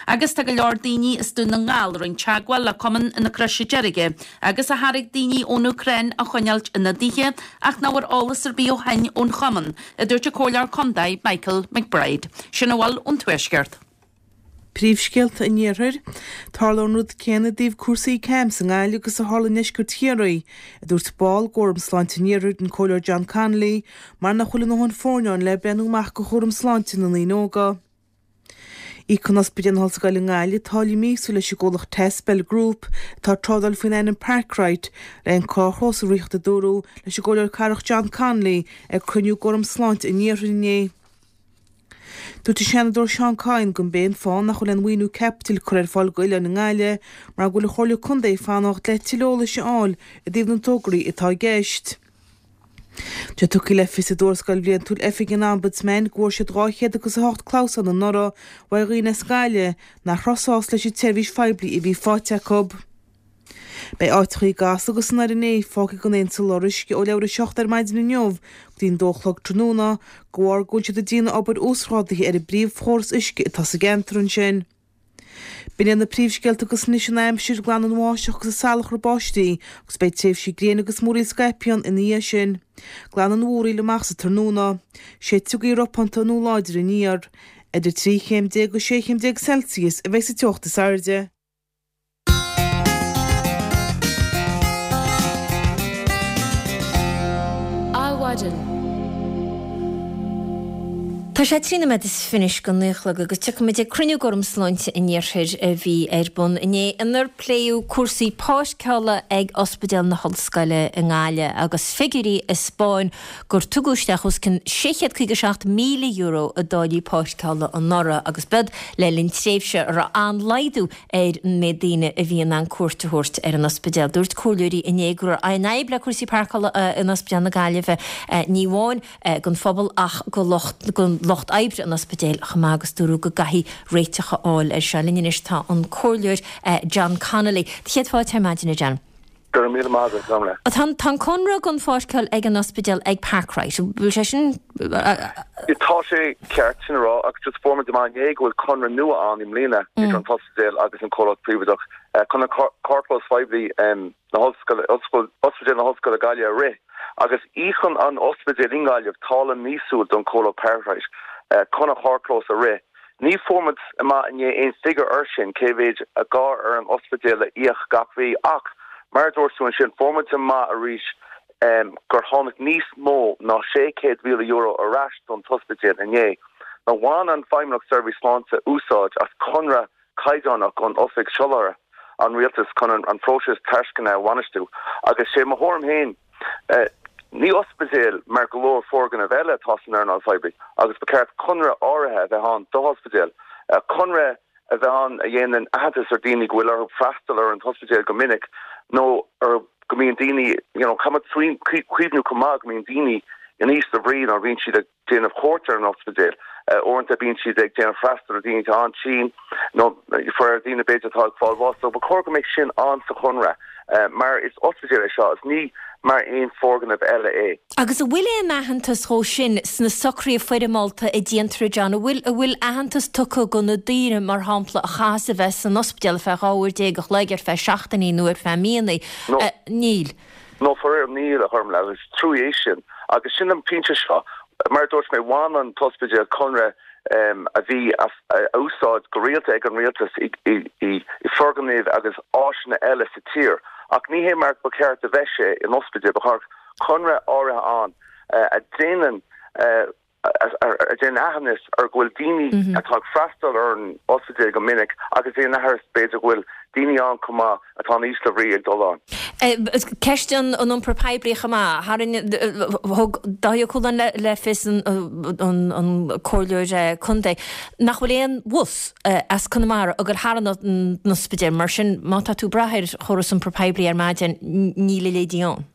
Agus tá go leor daoine as Dún na nGall a rinne teagmháil le Cumann na Croise Deirge agus a thairg daoine ón Úcráin a choinneáilt ina dtithe ach nach bhfuair eolas ar bith ó shin ón Chumann, a dúirt an Comhairleoir Contae Michael McBride. Sin a bhfuil ón Tuaisceart. Príomhscéalta an Iarthair. Tarlóidh an rud céanna i dtaobh cúrsaí CAMHS i nGaillimh agus a tharla i ndeisceart Chiarraí, a dúirt ball d'Fhóram Sláinte an Iarthair, an Comhairleoir John Connolly, mar nach bhfuil a ndóthain foirne ann le breathnú amach do chúram sláinte na ndaoine óga. Íocann Ospidéal na hOllscoile i nGaillimh táille míosúil leis an gcomhlacht Tespel Group, atá ag trádáil faoin ainm Parkrite, le an carrchlós a ritheacht a dúradh leis an gComhairleoir Cathrach John Connolly ag cruinniú d'Fhóram Sláinte an Iarthair inné. Dúirt an Seanadóir Seán Kyne gurb é an fáth nach bhfuil aon mhaoiniú caipitil curtha ar fáil d'oileáin i nGaillimh mar go bhfuil an Chomhairle Contae ag fanacht le tuilleadh eolais a fháil i dtaobh na dtograí atá i gceist. Tá tugtha le fios i dtuarascáil bhliantúil Oifig an Ombudsman go bhfuair siad dhá chéad agus a hocht clamhsán anuraidh ó dhaoine as Gaillimh nach raibh sásta leis an tseirbhís phoiblí a bhí faighte acu. Beidh áiteachaí i gCasla agus san Fhearann fágtha gan aon soláthar uisce ó leathuair a seacht ar maidin inniu go dtí an dó a chlog tráthnóna de bharr go bhfuil siad ag déanamh obair uasghrádaithe ar an bpríomhchóras uisce atá sa gceantar ansin. B'in iad na príomhscéalta agus anois an aimsir, glanfaidh an bháisteach agus an salachar báistí agus beidh tréimhsí gréine agus múraíl scaipthe ann ina dhiaidh sin. Glanfaidh an mhúraíl amach sa tráthnóna. Séidfidh gaoth ropánta nó láidir aniar. Idir trí chéim déag agus sé chéim déag Celsius a bheidh sa teocht is airde. Adhmhaidin. Tá sé trí nóiméad is fiche go naoi a chlog agus tiocfaimid ag cruinniú d'Fhóram Sláinte an Iarthair a bhí ar bun inné inar pléadh cúrsaí páirceála ag Ospidéal na hOllscoile i nGaillimh agus figiúirí a 'spáin gur tugadh isteach os cionn sé chéad caoga seacht míle euro i dtáillí páirceála anuraidh agus b'iod le linn tréimhse a raibh an-laghdú ar an méid daoine a bhí in ann cuairt a thabhairt ar an ospidéal. Dúirt comhairleoirí inné go raibh an fhadhb le cúrsaí páirceála in Ospidéal na Gaillimhe ní amháin don phobal ach do lucht oibre an ospidéil chomh maith agus dúradh go gcaithfí réiteach a fháil air seo. Linn anois tá an Comhairleoir John Connolly. Céad fáilte ar maidin, a John. Go raibh míle maith agat, Gormlaith. Tá an conradh don pháirceáil ag an ospidéal ag Parkrite. Bhfuil sé sin. Tá sé ceart sin a rá agus just fuair muid amach inné go bhfuil conradh nua ann i mbliana idir an t-ospidéal agus an comhlacht príobháideach chun an carrchlós phoiblí na hollscoile, Ospidéal na hOllscoile Gaillimh a rith agus íocann an ospidéal i nGaillimh táille míosúil don chomhlacht Parkrite chun an carrchlós a rith. Ní fuair muid amach inné aon figiúr air sin, cé mhéid atá ar an ospidéal a íoc gach mhí ach mar a dúirt tú ansin, fuair muid amach arís gur tháinig níos mó ná sé chéad mhíle euro ar ais don t-ospidéal inné. Now bhain an Feidhmeannacht Seirbhís Sláinte úsáid as conradh caighdeánach ón Oifig Soláthair an Rialtais chun an phróiseas tairisceana a bhainistiú agus sé mo thuairim féin, Ní ospidéal mar go leor foirgneamh eile atá san earnáil phoiblí agus ba cheart conradh áirithe a bheith ann d'ospidéal, conradh a bheith ann a dhéanann aitheantas ar daoine go bhfuil orthu freastal ar an t-ospidéal go minic nó ar go mbíonn daoine, you know, caithfidh muid cuimhniú chomh maith go mbíonn daoine in ísle brí nuair a bhíonn siad ag déanamh cuairt ar an ospidéal. Uaireanta bíonn siad ag déanamh freastal ar daoine atá an-tinn nó ar daoine b'fhéidir atá ag fáil bháis. So ba chóir go mbeadh sin ann sa chonradh mar is ospidéal é seo is ní mar aon foirgneamh eile é. Agus an bhfuil aon aitheantas dhó sin sna socruithe foirmeálta a déantar, a John? An bhfuil, an bhfuil aitheantas tugtha do na daoine, mar shampla, a chaitheas a bheith san ospidéal ar feadh dhá uair déag a chloig, ar feadh seachtainí nó ar feadh míonna? No. Níl. No, faraor, níl, a Ghormlaith, agus is trua é sin. Agus sin an pointe seo. Mar a dúirt mé, bhain an t-ospidéal conradh a bhí á úsáid go rialta ag an rialtas i foirgnimh agus áiseanna eile sa tír Ach ní hé mar ba cheart a bheith sé in ospidéal ba cheart conradh áirithe ann a déanann a déanann aitheantas ar go bhfuil daoine atá ag freastal ar an ospidéal go minic agus déanann aitheantas b'fhéidir go bhfuil daoine ann chomh maith atá in ísle brí ag dul ann. Ceist an iompair poiblí chomh maith. Tharraing, thug Dáithí Ó Cualáin le fios an comhairleoir contae nach bhfuil aon bhus as Conamara ag dul thar an ospidéal mar sin má tá tú ag brath ar chóras iompair poiblí ar maidin níl a leithéidí ann.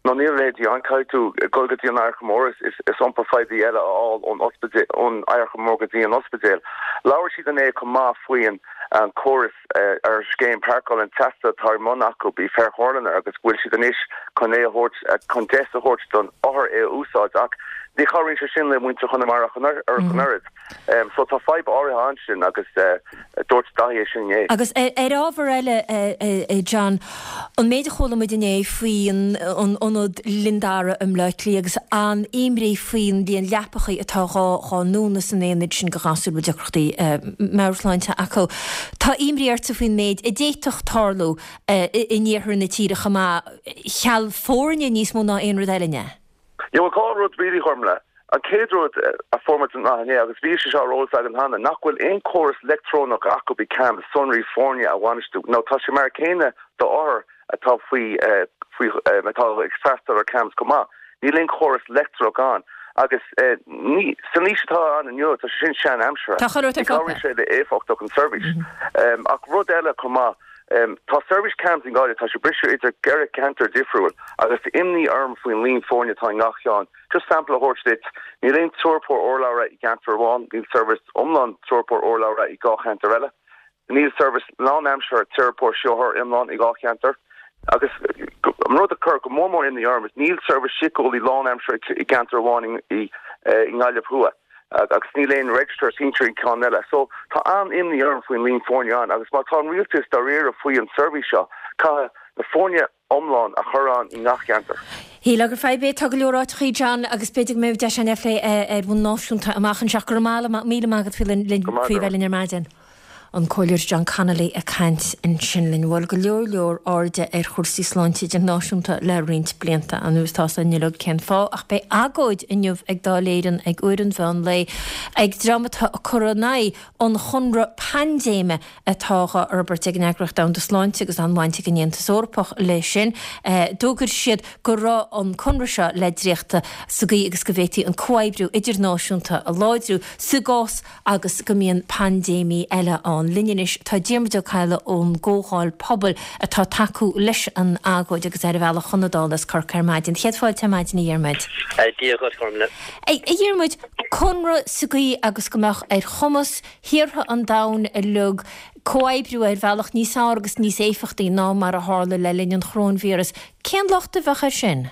No níl a leithéidí ann, caithfidh tú dul go dtí an Adharca Mór is is iompar phoiblí eile a fháil ón ospidéal ón Adharca Mór go dtí an ospidéal. Labhair siad inné chomh maith faoin an córas ar scéim páirceála an tseasta atá ar bun acu i Fairhorlaner agus go bhfuil siad anois chun é a thabhairt chun deis a thabhairt don othar é a úsáid ach ní chabhraíonn sé sin le muintir Chonamara ach an oiread. So tá fadhb áirithe ansin agus dúirt Dáithí é sin inné. Agus ar ábhar eile, a John, an méid a chuala muid inné faoi an ionad Linn Dara i mBleá Cliath agus an imní faoin líon leapachaí atá dhá dhá ndúnadh san aonad sin do ghasúir a bhfuil deacrachtaí meabhairshláinte acu. Tá imní ortsa faoin méid a d'fhéadfadh tarlú in iarthar na tíre chomh maith, cheal foirne níos mó ná aon rud eile, an ea? Yeah, bhuel, dhá rud really, Gormlaith. An chéad rud a fuair muid amach inné, agus bhí sé seo ar eolas againn cheana, nach bhfuil aon chóras leictreonach acu i CAMHS sonraí foirne a bhainistiú. Now tá sé mar a chéanna do othair atá faoi faoi atá ag freastal ar CAMHS chomh maith. Níl aon chóras leictreonach ann agus ní san aois atá ann inniu tá sé sin sean-aimseartha. Tá chuile Ní chabhraíonn sé le éifeachtacht an seirbhís. Ach rud eile chomh maith, tá seirbhís CAMHS i nGaillimh, tá sé briste idir ceithre cheantar difriúil agus tá imní orm faoin líon foirne atá i ngach ceann. Just sampla a thabhairt duit, níl aon teiripeoir urlabhra i gceantar amháin, níl seirbhís iomlán teiripeoir urlabhra i dhá cheantar eile, níl seirbhís lánaimseartha teiripeoir saothair iomlán i dhá cheantar, agus an rud a chuir go mór mór imní orm is níl seirbhís síceolaí lánaimseartha i gceantar amháin i nGaillimh Thuaidh agus níl aon register sinsear i gceann eile. So tá an-imní orm faoin líon foirne ann agus má tá an rialtas dáiríre faoi an seirbhís seo, caithfidh na foirne iomlán a chur ann i ngach ceantar. Shílfeá gur fadhb é, tá go leor áiteachaí, John, agus b'fhéidir go mbeidh deis againn é a phlé ar bhonn náisiúnta amach anseo. Go raibh míle maith agat faoi bheith linn ar maidin. An Comhairleoir John Connolly ag caint ansin linn. Bhuel, go leor leor airde ar chúrsaí sláinte idirnáisiúnta le roinnt blianta anuas. Tá a fhios againn uilig cén fáth, ach beidh agóid inniu ag Dáil Éireann ag uair an mheán lae ag dream atá ag cur in aghaidh an chonradh paindéime atá á fhorbairt ag an Eagraíocht Domhanda Sláinte agus an-bhaint ag an Aontas Eorpach leis sin. D'fhógair siad go raibh an conradh seo le dréachtadh sa gcaoi agus go bhféadfaí an comhoibriú idirnáisiúnta a láidriú sa gcás agus go mbíonn paindéimí eile ann. Linn anois tá Diarmuid Ó Cadhla ón gComhdháil Pobail atá ag tacú leis an agóid agus ar a bhealach chun na Dála as Corcaigh ar maidin. Céad fáilte ar maidin a Dhiarmuid. Dia dhuit, Gormlaith. A Dhiarmuid, conradh sa gcaoi agus go mbeadh ar chumas thíortha an domhain uilig comhoibriú ar bhealach níos fearr agus níos éifeachtaí ná mar a tharla le linn an choróinvíreas. Cén locht a bheadh air sin?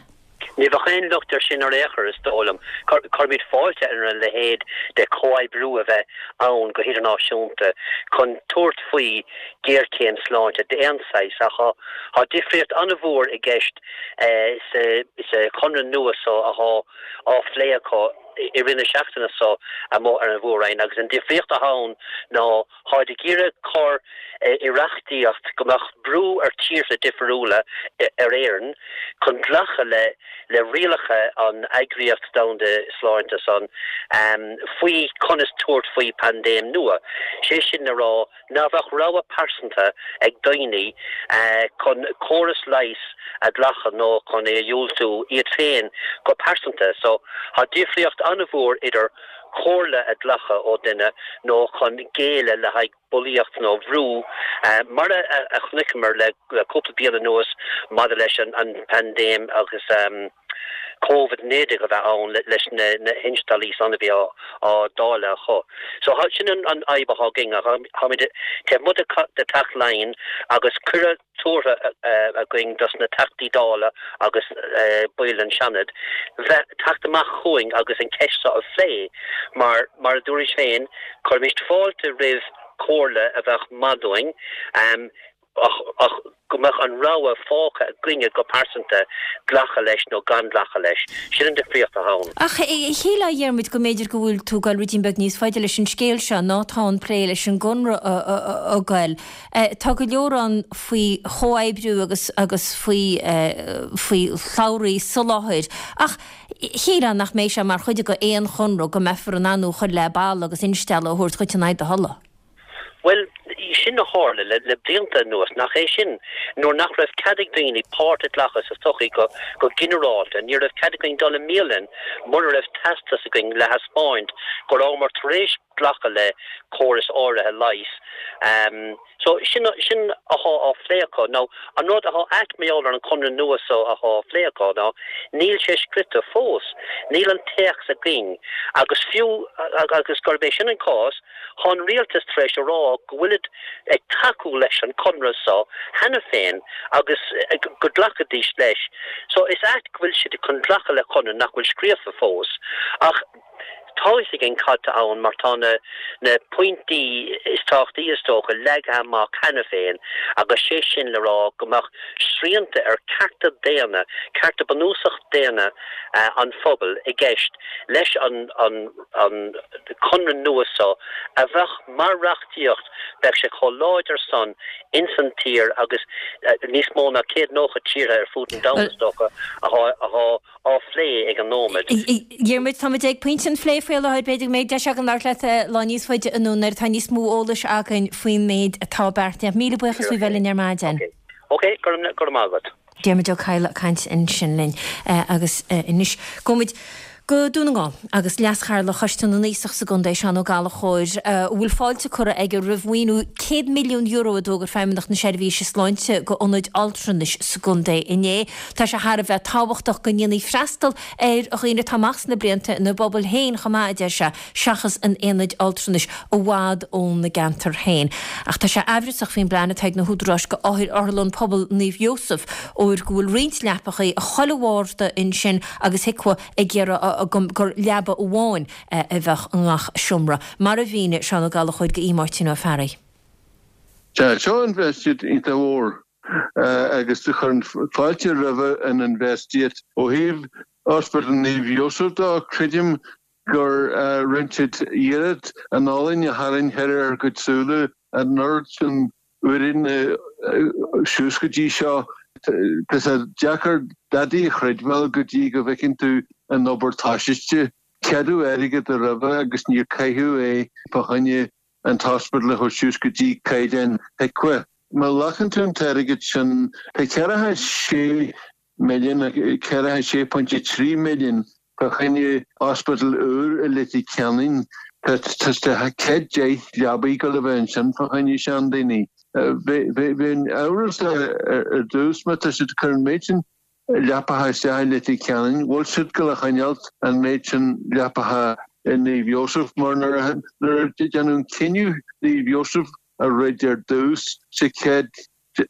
Ní bheadh aon locht air sin ar aon chor, is dóigh liom. Cuirimid fáilte ar a leithéid de chomhoibriú a bheith ann go hidirnáisiúnta chun tabhairt faoi ghéarchéim sláinte d'aon saghas ach tá difríocht an-mhór i gceist sa chonradh nua so atá á phlé acu i rith na seachtaine so amuigh ar an Mhór-Roinn agus an difríocht atá ann ná táid ag iarraidh cur i reachtaíocht go mbeadh brú ar tíortha difriúla ar Éirinn chun glacadh le le rialacha an Eagraíocht Domhanda Sláinte san faoi conas tabhairt faoi paindéim nua. Sé sin le rá ná bheadh rogha pearsanta ag daoine chun córas leighis a ghlacadh nó chun é a dhiúltú iad féin go pearsanta. So tá difríocht an-mhór idir comhairle a ghlacadh ó duine nó chun géilleadh le haghaidh bulaíocht nó bhrú, mar a chonaiceamar le cúpla bliain anuas maidir leis an bpaindéim agus Covid naoi déag a bheith ann leis na hinsteallaí san a bhí á dáileadh acu. So sin an fhadhb atá againn. Táimid taobh amuigh de Teach Laighean agus cuireadh tabhartha againn dos na Teachtaí Dála agus baill den Seanad bheith teacht amach chugainn agus an ceist seo a phlé mar, mar a dúrais féin, cuirimid fáilte roimh chomhairle a bheadh maith dúinn. ach ach go mbeadh an rogha fágtha againne go pearsanta glacadh leis nó gan glacadh leis. Sin an difríocht atá ann. Ach shílfeá, a Dhiarmuid, go mb'fhéidir go bhfuil tú ag goil ruidín beag níos faide leis an scéal seo ná tá an plé leis an gConradh ag goil. Tá go leor ann faoi chomhoibriú agus agus faoi faoi shlabhraí soláthair ach shílfeá nach mbeidh sé mar chuid de aon chonradh go mbeifear in ann thú a chur le balla agus instealladh a thabhairt dhuit in aghaidh do thola. Bhuel, sin a tharla le le blianta anuas, nach é sin? Nuair nach raibh cead ag daoine páirt a ghlacadh sa tsochaí go go ginearálta, ní raibh cead againn dul i mbialann mura raibh teastas againn le thaispeáint go rabhamar tar éis glacadh le córas áirithe leighis. So, sin sin athá á phlé acu. Now, an rud athá ait mar gheall ar an conradh nua so athá á phlé acu ná níl sé scriofa fós, níl an téacs againn agus fiú agus gurb é sin an cás, Tá an rialtas tar éis a rá go bhfuilid ag tacú leis an conradh so cheana féin agus go nglacfaidís leis. So is ait go bhfuil siad chun glacadh le conradh nach bhfuil scríofa fós. Ach tá fhios againn cad tá ann mar tá na na pointí is tábhachtaí is dócha leagtha amach cheana féin agus sé sin le rá go mbeadh srianta ar cearta daonna, cearta bunúsach daonna an phobail i gceist leis an an an conradh nua so a bheadh mar reachtaíocht, bheadh sé chomh láidir san ins an tír agus níos mó ná céad nócha tíortha ar fud an domhain is dócha athá á phlé ag an nóiméad. Diarmuid, táimid ag pointe an phlé faoi láthair, b'fhéidir go mbeidh deis againn labhairt leat lá níos faide anonn nuair atá níos mó eolais againn faoin méid atá beartaithe. Míle buíochas faoi bheith linn ar maidin. Ok, go raibh maith agat. Diarmuid Ó Cadhla ag caint ansin linn agus anois gabhfaimid go Dún na nGall agus Leas-Chathaoirleach Choiste na nAosach sa gcontae, Seán Ó Gallchóir, a bhfuil fáilte curtha aige roimh mhaoiniú céad milliún euro a d'fhógair Feidhmeannacht na Seirbhíse Sláinte go ionaid altranais sa gcontae inné. Tá sé thar a bheith tábhachtach go ndéanfaí freastal ar dhaoine atá amach sna blianta ina bpobail féin chomh maith, a deir sé, seachas in aonaid altranais i bhfad óna gceantar féin. Ach tá sé aimhreasach faoin bplean atá ag na húdaráis go Otharlann Pobail Naomh Iósaf, óir go bhfuil roinnt leapachaí i chuile bharda ansin agus HIQA ag iarraidh gur leaba amháin a bheadh i ngach seomra, mar a mhínigh Seán Ó Gallchóir do Mháirtín Ó Fearraigh. Sea, seo infheistíocht iontach mhór agus chuirfinn fáilte roimhe an infheistíocht. Ó thaobh Ospidéal Naomh Iósaf de, creidim gur rinne siad iarracht an olann a tharraingt thar ár gcuid súile an oiread sin uaireanta suas go dtí seo. Tá sé deacair dadaí a chreidbheáil go dtí go bhfeiceann tú an obair tosaithe. Ceadaíodh airgead roimhe agus níor caitheadh é fá choinne an t-ospidéal a thabhairt suas go dtí caighdeán HIQA. Má ghlacann tú an t-airgead sin, tá ceathracha sé milliún, ceathracha sé pointe trí milliún fá choinne ospidéal úr i Leitir Ceanainn. Tá céad deich leabaí ag dul a bheith ansin fá choinne seandaoine. Bheinn amhrasach ar dtús má tá siad ag cur an méid sin leapacha isteach i Leitir Ceanainn, bhfuil siad ag dul a choinneáilt an méid sin leapacha i Naomh Iósaf mar nuair a déanadh an cinneadh Naomh Iósaf a throid ar dtús sé céad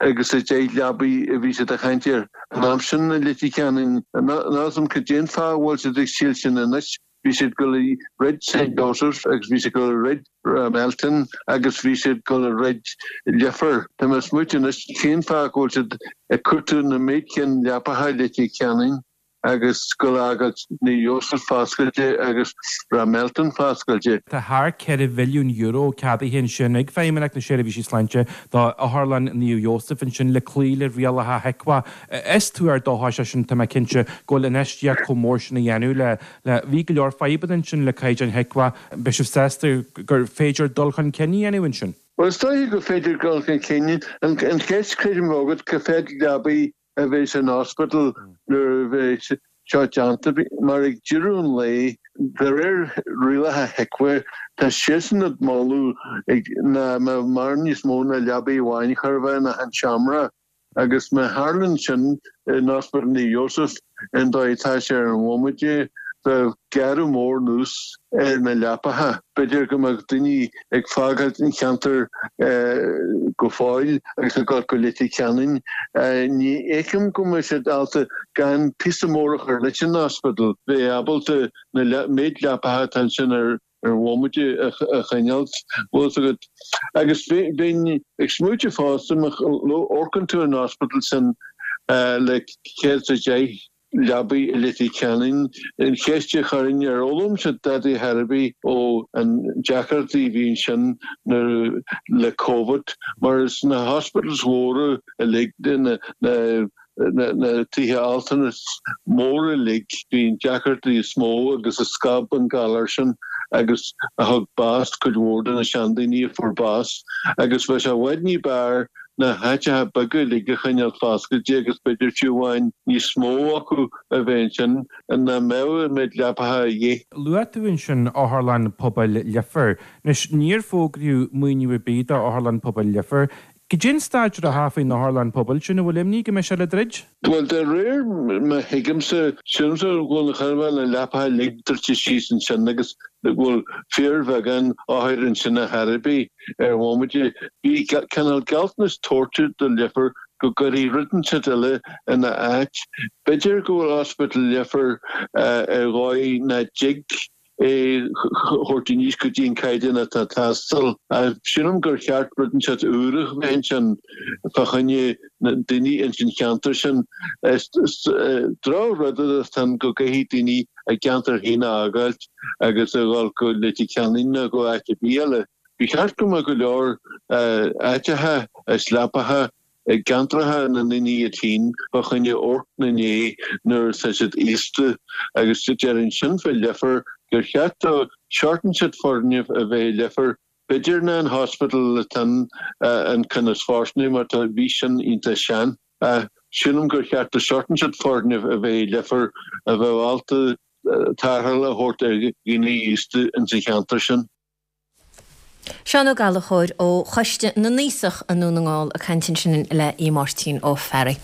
agus a deich leabaí a bhí siad ag caint air an am sin i Leitir Ceanainn. Níl a fhios agam cad é an fáth a bhfuil siad ag triail sin anois. Bhí siad ag dul a throid St Joseph's agus bhí siad ag dul a throid Rathmelton agus bhí siad ag dul a throid Leifear. Tá mé ag smaoitiú anois cén fáth go bhfuil siad ag cuartú na méid cinn leapacha i Leitir Ceanainn agus ag dul a fhágáilt Naomh Iósaf foscailte agus Rathmelton foscailte. Tá thar ceithre bhilliún euro ceadaithe ansin ag Feidhmeannacht na Seirbhíse Sláinte do Otharlann Naomh Iósaf ansin le cloí le rialacha HIQA. Is tuar dóchais é sin, tá mé cinnte, go bhfuil infheistíocht chomh mór sin á dhéanamh le le bhí go leor fadhbanna ansin le caighdeáin HIQA. Beidh sibh sásta gur féidir dul chun cinn a dhéanamh ansin? Bhuel, is dóiche gur féidir dul chun cinn. An cheist, creidim, agat, cá mhéad leabaí a bheidh san ospidéal nuair a bheidh seo déanta, mar ag deireadh an lae, de réir rialacha HIQA, tá siadsan ag moladh nach mbeadh mórán níos mó ná leabaí amháin chóir a bheith in achan seomra. Agus má tharlaíonn sin in Ospidéal Naomh Iósaf, an dóigh atá sé ar an bhomaite, bheadh gearradh mór anuas ar na leapacha. B'fhéidir go mbeadh daoine ag fágáilt an cheantair go fóill agus ag dul go Leitir Ceanainn. Ní fheicim go mbeidh siad ábalta gan píosa mór a chur leis an ospidéal, bheith ábalta na méid leapacha atá ansin ar ar bhomaite a choinneáilt, bhfuil fhios agat. Agus bheinn ag smaoitiú fosta, má amharcann tú ar an ospidéal sin le céad is a deich leabaidh i Leitir Ceanainn, an cheist a chuirfinn ar fhoghlaim siad dadaí ar bith ó an deacrachtaí a bhí ansin nuair le Covid, mar is na hospitals mhóra uilig na na tithe altranais móra uilig, bhí an deacrachtaí is mó agus a scaip an galar sin agus a thug bás cuid mhór de na seandaoine a fuair bás agus bheadh sé i bhfad ní b'fhearr na háiteacha beaga uilig a choinneáil foscailte agus b'fhéidir fiú amháin níos mó acu a bheith ansin ina mbeadh an méid leapacha a dhíth. Luaigh tú ansin Otharlann Pobail Leifear. Anois, níor fógraíodh maoiniú ar bith do Otharlann Pobail Leifear. Goidé an staid reatha faoin otharlann pobail sin, an bhfuil imní go mbeidh sé le druid? Bhuel, de réir mar a thuigimse, sílimse go bhfuil na chun a bheith na leapacha uilig druidte síos ansin agus go bhfuil fíorbheagán othair ansin ar chor ar bith ar bhomaite. Bhí cineál gealltanas tabhairt do Leifear go gcuirfí rud inteacht eile ina áit. B'fhéidir go bhfuil Ospidéal Leifear ar dhóigh nach dtig é thabhairt aníos go dtí an caighdeán atá ag teastáil. Sílim gur cheart rud inteacht úr a bheith ansin fá choinne na daoine ins an cheantar sin. Is droch-rud atá ann go gcaithfidh daoine a gceantar féin a fhágáilt agus a dhul go Leitir Ceanainn nó go áit ar bith eile. Ba cheart go mbeadh go leor áiteacha is leapacha i gceantracha na ndaoine iad féin fá choinne amharc ina ndiaidh nuair atá siad aosta agus déarfainn sin fá Leifear gur cheart do seort inteacht foirgneamh a bheith i Leifear b'fhéidir ná an hospital atá an ceann is fóirsteanaí mar tá bhí sin iontach sean ach sílim gur cheart do seort inteacht foirgneamh a bheith i Leifear a bheadh ábalta tarrtháil a thabhairt ar dhaoine aosta ins an cheantar sin. Seán Ó Gallchóir ó Choiste na nAosach i nDún na nGall ag caint ansin le Aodh Máirtín Ó Fearraigh.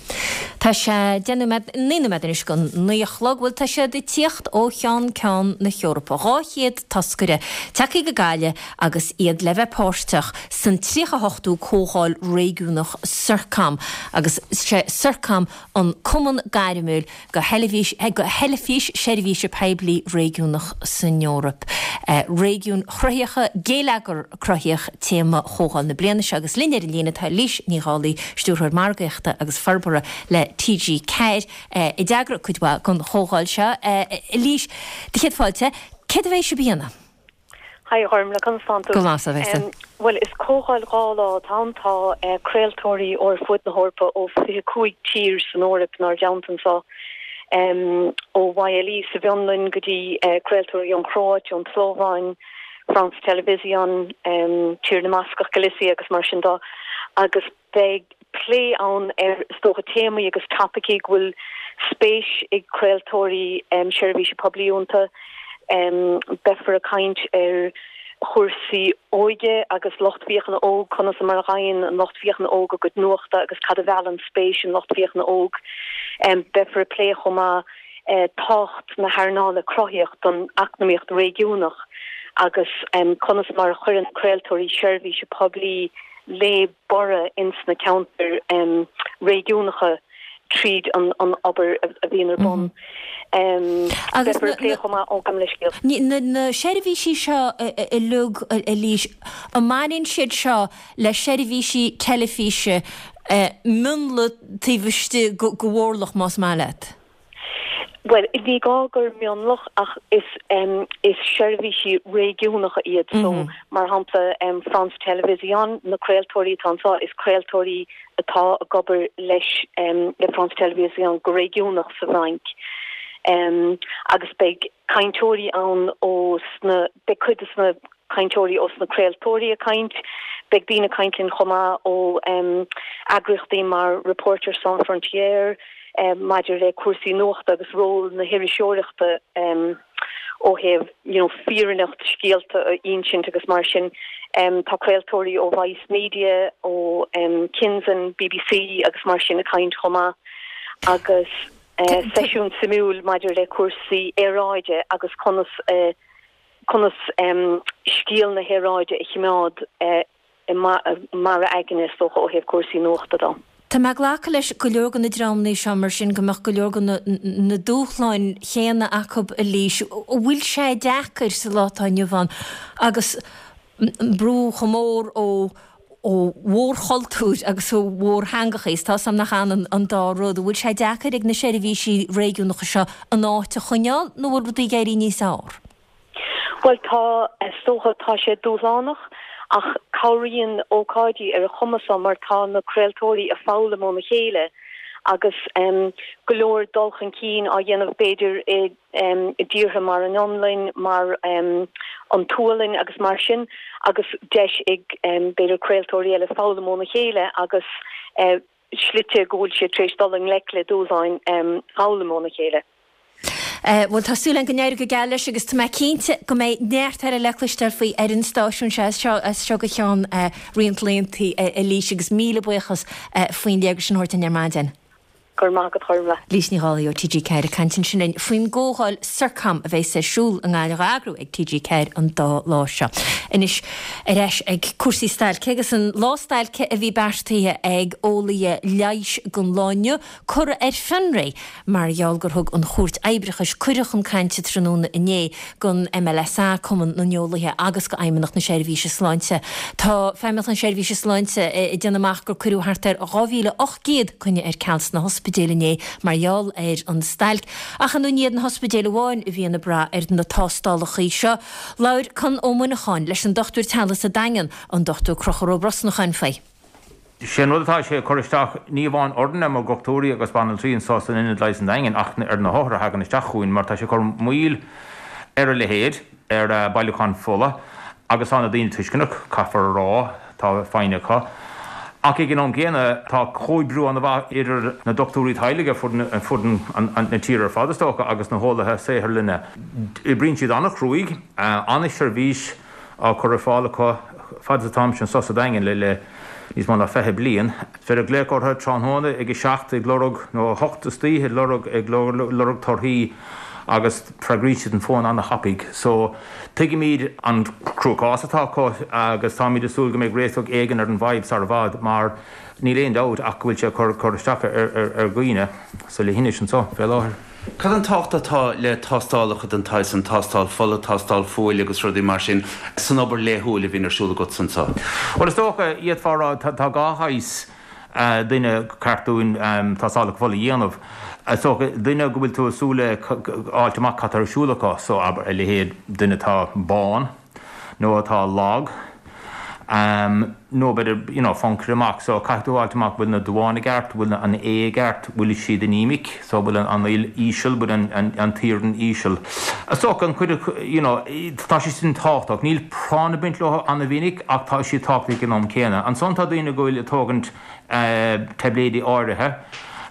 Tá sé deich nóiméad, naoi nóiméad anois go naoi a chlog, bhuel tá siad ag tíocht ó cheann ceann na hEorpa. Dhá chéad toscaire tagtha go Gaillimh agus iad le bheith páirteach san tríocha hochtú Comhdháil Réigiúnach Circom agus sé Circom an cumann gairmiúil do theilifís do theilifís seirbhíse poiblí réigiúnach san Eoraip. Réigiúin Chruthaíocha, Geilleagar Cruthaitheach téama chomhdháil na bliana seo agus linn ar an líne tá Eilís Ní Dhálaigh, Stiúrthóir Margaíochta agus Forbartha le T G ceathair, a d'eagraigh cuid mhaith den chomhdháil seo. Eilís, do chéad fáilte, céard a bheidh sibh a dhéanamh? Hi a Ghormfhlaith, conas tánn tú? Go maith, a bheas. Bhuel, is comhdháil dhá lá atá ann. Tá craoltóirí ó ar fud na hEorpa, ó fiche cúig tír san Eoraip inár dteannta anseo, ó YLE sa bhFionlainn go dtí craoltóirí ón Chróit, ón tSlóváin, France Television, Tír na mBascach, Galicia agus mar sin de. Agus beidh plé ann ar, is dócha, téamaí agus topaicí go bhfuil spéis ag craoltóirí seirbhíse poiblí iontu. Beifear ag caint ar chúrsaí óige agus lucht féachana óg, conas mar a fhaigheann an lucht féachana óg a gcuid nuachta agus cad a mheallann spéis an lucht féachana óg. Beifear ag plé chomh maith tábhacht na hearnála cruthaíoch don eacnamaíocht réigiúnach agus conas mar a chuireann craoltóirí seirbhíse poiblí le borradh ins na ceantair réigiúnacha tríd an obair a bhíonn ar bun. Agus Beifear ag plé chomh maith, ó, gabh mo leithscéal. Na seirbhísí seo uilig, Eilís, an mbaineann siad seo le seirbhísí teilifíse mionlaigh taobh istigh de mhórlach, más maith leat? Bhuel, ní gá gur mionlach ach is is seirbhísí réigiúnacha iad so mar shampla France Télévisions, na craoltóirí atá anseo, is craoltóirí atá ag obair leis le France Télévisions go réigiúnach sa bhFrainc. Agus beidh cainteoirí ann ó sna, beidh cuid de sna cainteoirí ó sna craoltóirí ag caint, beidh daoine ag caint linn chomh maith ó eagraíochtaí mar Reporters Sans Frontières maidir le cúrsaí nuachta agus ról na hiriseoireachta ó thaobh you know fírinneacht scéalta a insint agus mar sin. Tá craoltóirí ó Vice Media, ó Kinzen, B B C agus mar sin ag caint chomh maith agus seisiún suimiúil maidir le cúrsaí aeráide agus conas a conas scéal na haeráide a choimeád i mbarra aigne, is dócha, ó thaobh cúrsaí nuachta de. Tá mé ag glacadh leis go leor de na dreamanna seo mar sin go mbeadh go leor de na dúshláin chéanna acu a Lís. An bhfuil sé deacair sa lá atá inniu ann agus brú chomh mór ó ó mhórchultúir agus ó mhórtheangacha, is tá 's a'm nach ionann an dá rud. An bhfuil sé deacair ag na seirbhísí réigiúnacha seo a n-áit a choinneáil nó bhfuil rudaí ag éirí níos fearr? Bhuel tá, is dócha, tá sé dúshlánach ach cabhraíonn ócáidí ar an chuma seo mar tá na craoltóirí ag foghlaim óna chéile agus go leor dul chun cinn á dhéanamh b'fhéidir i dtíortha mar an Fhionlainn, mar an tSualainn agus mar sin agus deis ag b'fhéidir craoltóirí eile foghlaim óna chéile agus slite go bhfuil siad tar éis dul i ngleic le dúshláin foghlaim óna chéile. Bhuel, tá súil agam go n-éireoidh go geal leis agus tá mé cinnte go mbeidh neart eile le cloisteáil faoi ar an stáisiún seo as seo as seo go ceann roinnt laethanta, a Lís, agus míle buíochas faoin léargas sin a thabhairt dúinn ar maidin. Go raibh maith agat, Gormfhlaith. Lís Ní Dhálaigh ó T G ceathair ag caint ansin linn faoin gcomhdháil Circom a bheas ar siúl i nGaillimh á eagrú ag T G ceathair an dá lá seo. Anois ar ais ag cúrsaí stailce agus an lá stailce a bhí beartaithe ag eolaithe leighis don lá inniu curtha ar fionraí mar gheall gur thug an Chúirt Oibreachais cuireadh chun cainte tráthnóna inné don M L S A, Cumann na nEolaithe agus go Fheidhmeannacht na Seirbhíse Sláinte. Tá Feidhmeannacht na Seirbhíse Sláinte ag déanamh amach gur cuireadh thart ar dhá mhíle ocht gcéad coinne ar ceal sna hospidéil inné mar gheall ar an stailc. Ach ní hiad na hospidéil amháin a bhíonn ag brath ar na tástálacha seo. Labhair Conn Ó Muineacháin leis an dochtúir teaghlaigh sa Daingean, an Dochtúir Conchúr Ó Brosnacháin faoi. Sé an rud atá sé ag cur isteach ní amháin orainne mar dhochtúirí agus banaltraí anseo san Ionad Leighis an Daingin ach ar na hothair a thagann isteach chugainn mar tá sé ag cur moill ar a leithéid, ar bailiúchán fola agus tá na daoine tuisceanach, caithfear a rá, tá foighne acu. Ach ag an am céanna tá comhoibriú an-mhaith idir na dochtúirí teaghlaigh ar fud na tíre ar fad is dócha agus na heolaithe saotharlainne. Oibríonn siad an-chruaidh, an-seirbhís á cur ar fáil acu fad is atáimse anseo sa Daingean le níos mó ná fiche bliain. Is féidir glaoch orthu tráthnóna ag a seacht ag lorg, nó a hocht istoíche ag lorg, ag lorg torthaí agus freagraíonn siad an fón an-thapaidh. So, tuigimid an cruachás atá acu agus táimid ag súil go mbeidh réiteach éigin ar an bhfadhb sar i bhfad mar níl aon dabht ach go bhfuil sé ag cur cur isteach ar dhaoine sa leithinis anseo fé láthair. Cad an tábhacht atá le tástálacha den tsaghas san, tástáil fola, tástáil fuail agus rudaí mar sin, san obair laethúil a bhíonn ar siúl agat anseo? Bhuel, is dócha, d'fhéadfá a rá, tá dhá shaghas duine ceart dúinn tástálacha fola a dhéanamh. Is dócha, duine go bhfuil tú ag súil le fháilt amach cad tá ar siúl acu, so abair, a leithéid duine atá bán nó atá lag, nó b'fhéidir you know foncaire amach so caithfidh tú fháilt amach bhfuil na duáin i gceart, bhfuil an A i gceart, bhfuil siad anemic so bhfuil an fhuil íseal, bhfuil an an t-iarann íseal. Is dócha an chuid you know tá sé sin tábhachtach. Níl práinn ag baint leo an-mhinic ach tá siad tábhachtach ag an am céanna. Ansan tá daoine go bhfuil ag tógaint taibléidí áirithe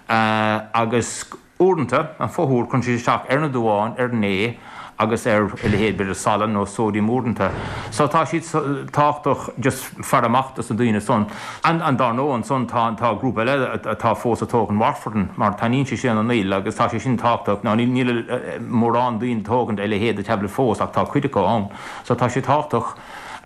agus Uaireanta, an fothuar, cuireann siad isteach ar na duáin, ar an A agus ar a leithéid, b'fhéidir salann nó sóidiam uaireanta. So tá siad tábhachtach just faire amach dos na daoine san. And and dár ndóigh ansan tá tá grúpa eile atá fós ag tógaint warfarin mar taitníonn sé sin an fhuil agus tá sé sin tábhachtach. Now níl níl mórán daoine ag tógaint a leithéid de tablet fós ach tá cuid acu ann. So tá sé tábhachtach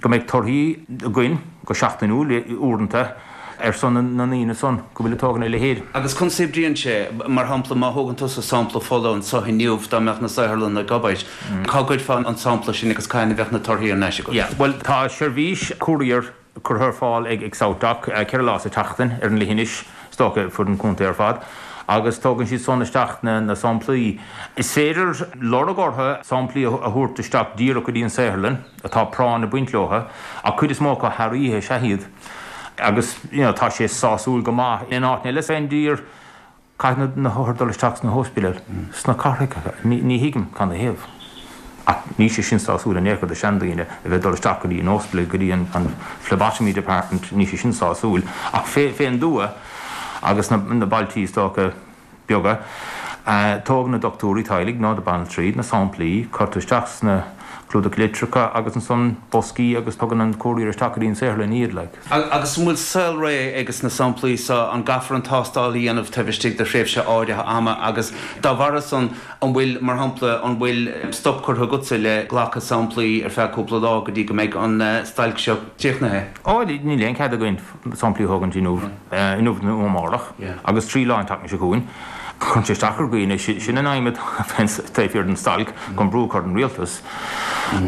go mbeidh torthaí againn go seachtainiúil uaireanta. ar son na ndaoine san go bhfuil ag tógaint a leithéid. Agus conas a oibríonn sé? Mar shampla, má thógann tusa sampla fola anseo inniu, dá mbeadh na saotharlanna ag obair, cá gcuirfeá an sampla sin agus cathain a bheadh na torthaí thar n-ais agat? Yeah, bhuel tá seirbhís courier curtha ar fáil ag SouthDoc ceithre lá sa tseachtain ar an leithinis, is dócha ar fud an chontae ar fad, agus tógann siad san isteach na samplaí. Is féidir lorg orthu samplaí a thabhairt isteach díreach go dtí an saotharlann, atá práinn ag baint leo, ach cuid is mó acu thar oíche is ea iad. Agus you know tá sé sásúil go maith. In áiteanna eile fén dtír, caithfidh na hothair dul isteach sna hóispidéil, sna cathracha. Ní ní thuigim canathaobh. Ach níl sé sin sásúil in aon chor do seandaoine a bheith ag dul isteach go dtí an óispidéal, go dtí an an phlebotomy department, níl sé sin sásúil. Ach fé fén dtuath agus na na bailtí is dócha, beaga. Tógann na dochtúirí teaghlaigh nó na banaltraí na samplaí, cuirtear isteach sna clúdach litreacha agus ansan boscaí agus tugann an courier isteach go dtí an saotharlann iad like. Agus an bhfuil saolré ages na samplaí so, an gcaithfear an tástáil a dhéanamh taobh istigh de thréimhse áirithe ama agus dá bharra san an bhfuil, mar shampla, an bhfuil stop curtha agatsa le glacadh samplaí ar feadh cúpla lá go dtí go mbeidh an stailc seo críochnaithe? Ó, níl aon cead againn samplaí a thógaint inniu, inniu nó amárach agus trí lá an tseachtain seo chugainn. Cuireann sé isteach ar dhaoine, sin an aidhm atá taobh thiar den stailc, chun brú a chur ar an rialtas.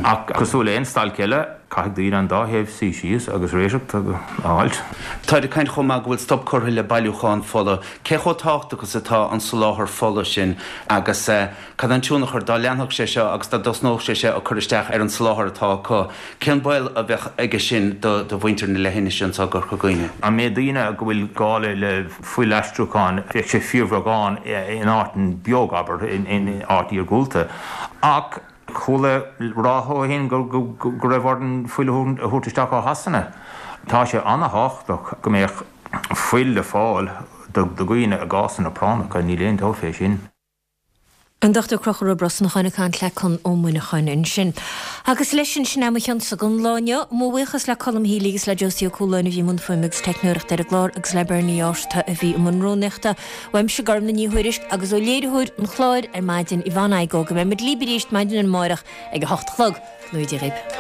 Ach cosúil le aon stailc eile, caithfidh daoine an dá thaobh suí síos agus réiteach a fháilt. Táid ag caint chomh maith go bhfuil stop curtha le bailiúchán fola. Cé chomh tábhachtach is atá an soláthar fola sin agus cad é an tionchar dá leanfadh sé seo agus dá dtosnódh sé seo ag cur isteach ar an soláthar atá acu? Cén baol a bheadh aige sin do mhuintir na leithinise anseo i gCorca Dhuibhne? An méid daoine go bhfuil gá le fuilaistriúchán, bheadh sé fíorbheagán in áit beag, abair, in áit iargúlta. Ach chuala ráithe ó shin go raibh orainn fuil a thabhairt isteach ó Shasana. Tá sé an-thábhachtach go mbeadh fuil le fáil do dhaoine i gcásanna práinneacha, níl aon dabht fé sin. An Dochtúir Conchúr Ó Brosnacháin ag caint le Conn Ó Muineacháin ansin. Agus leis sin, sin é mo chionsa don lá inniu. Mo bhuíochas le Colm Healy agus le Josie Ó Cualáin a bhí i mbun fuaime agus teicneoireachta ar an gclár agus le Bernie Ásta a bhí i mbun rúnaíochta. Uaimse Gormlaith Ní Thuairisg agus ó léiritheoir an chláir ar maidin, Yvonne Igoe, go mbeidh muid libh arís maidin amárach ag a hocht a chlog. Go ngnóthaí Dia dhaoibh.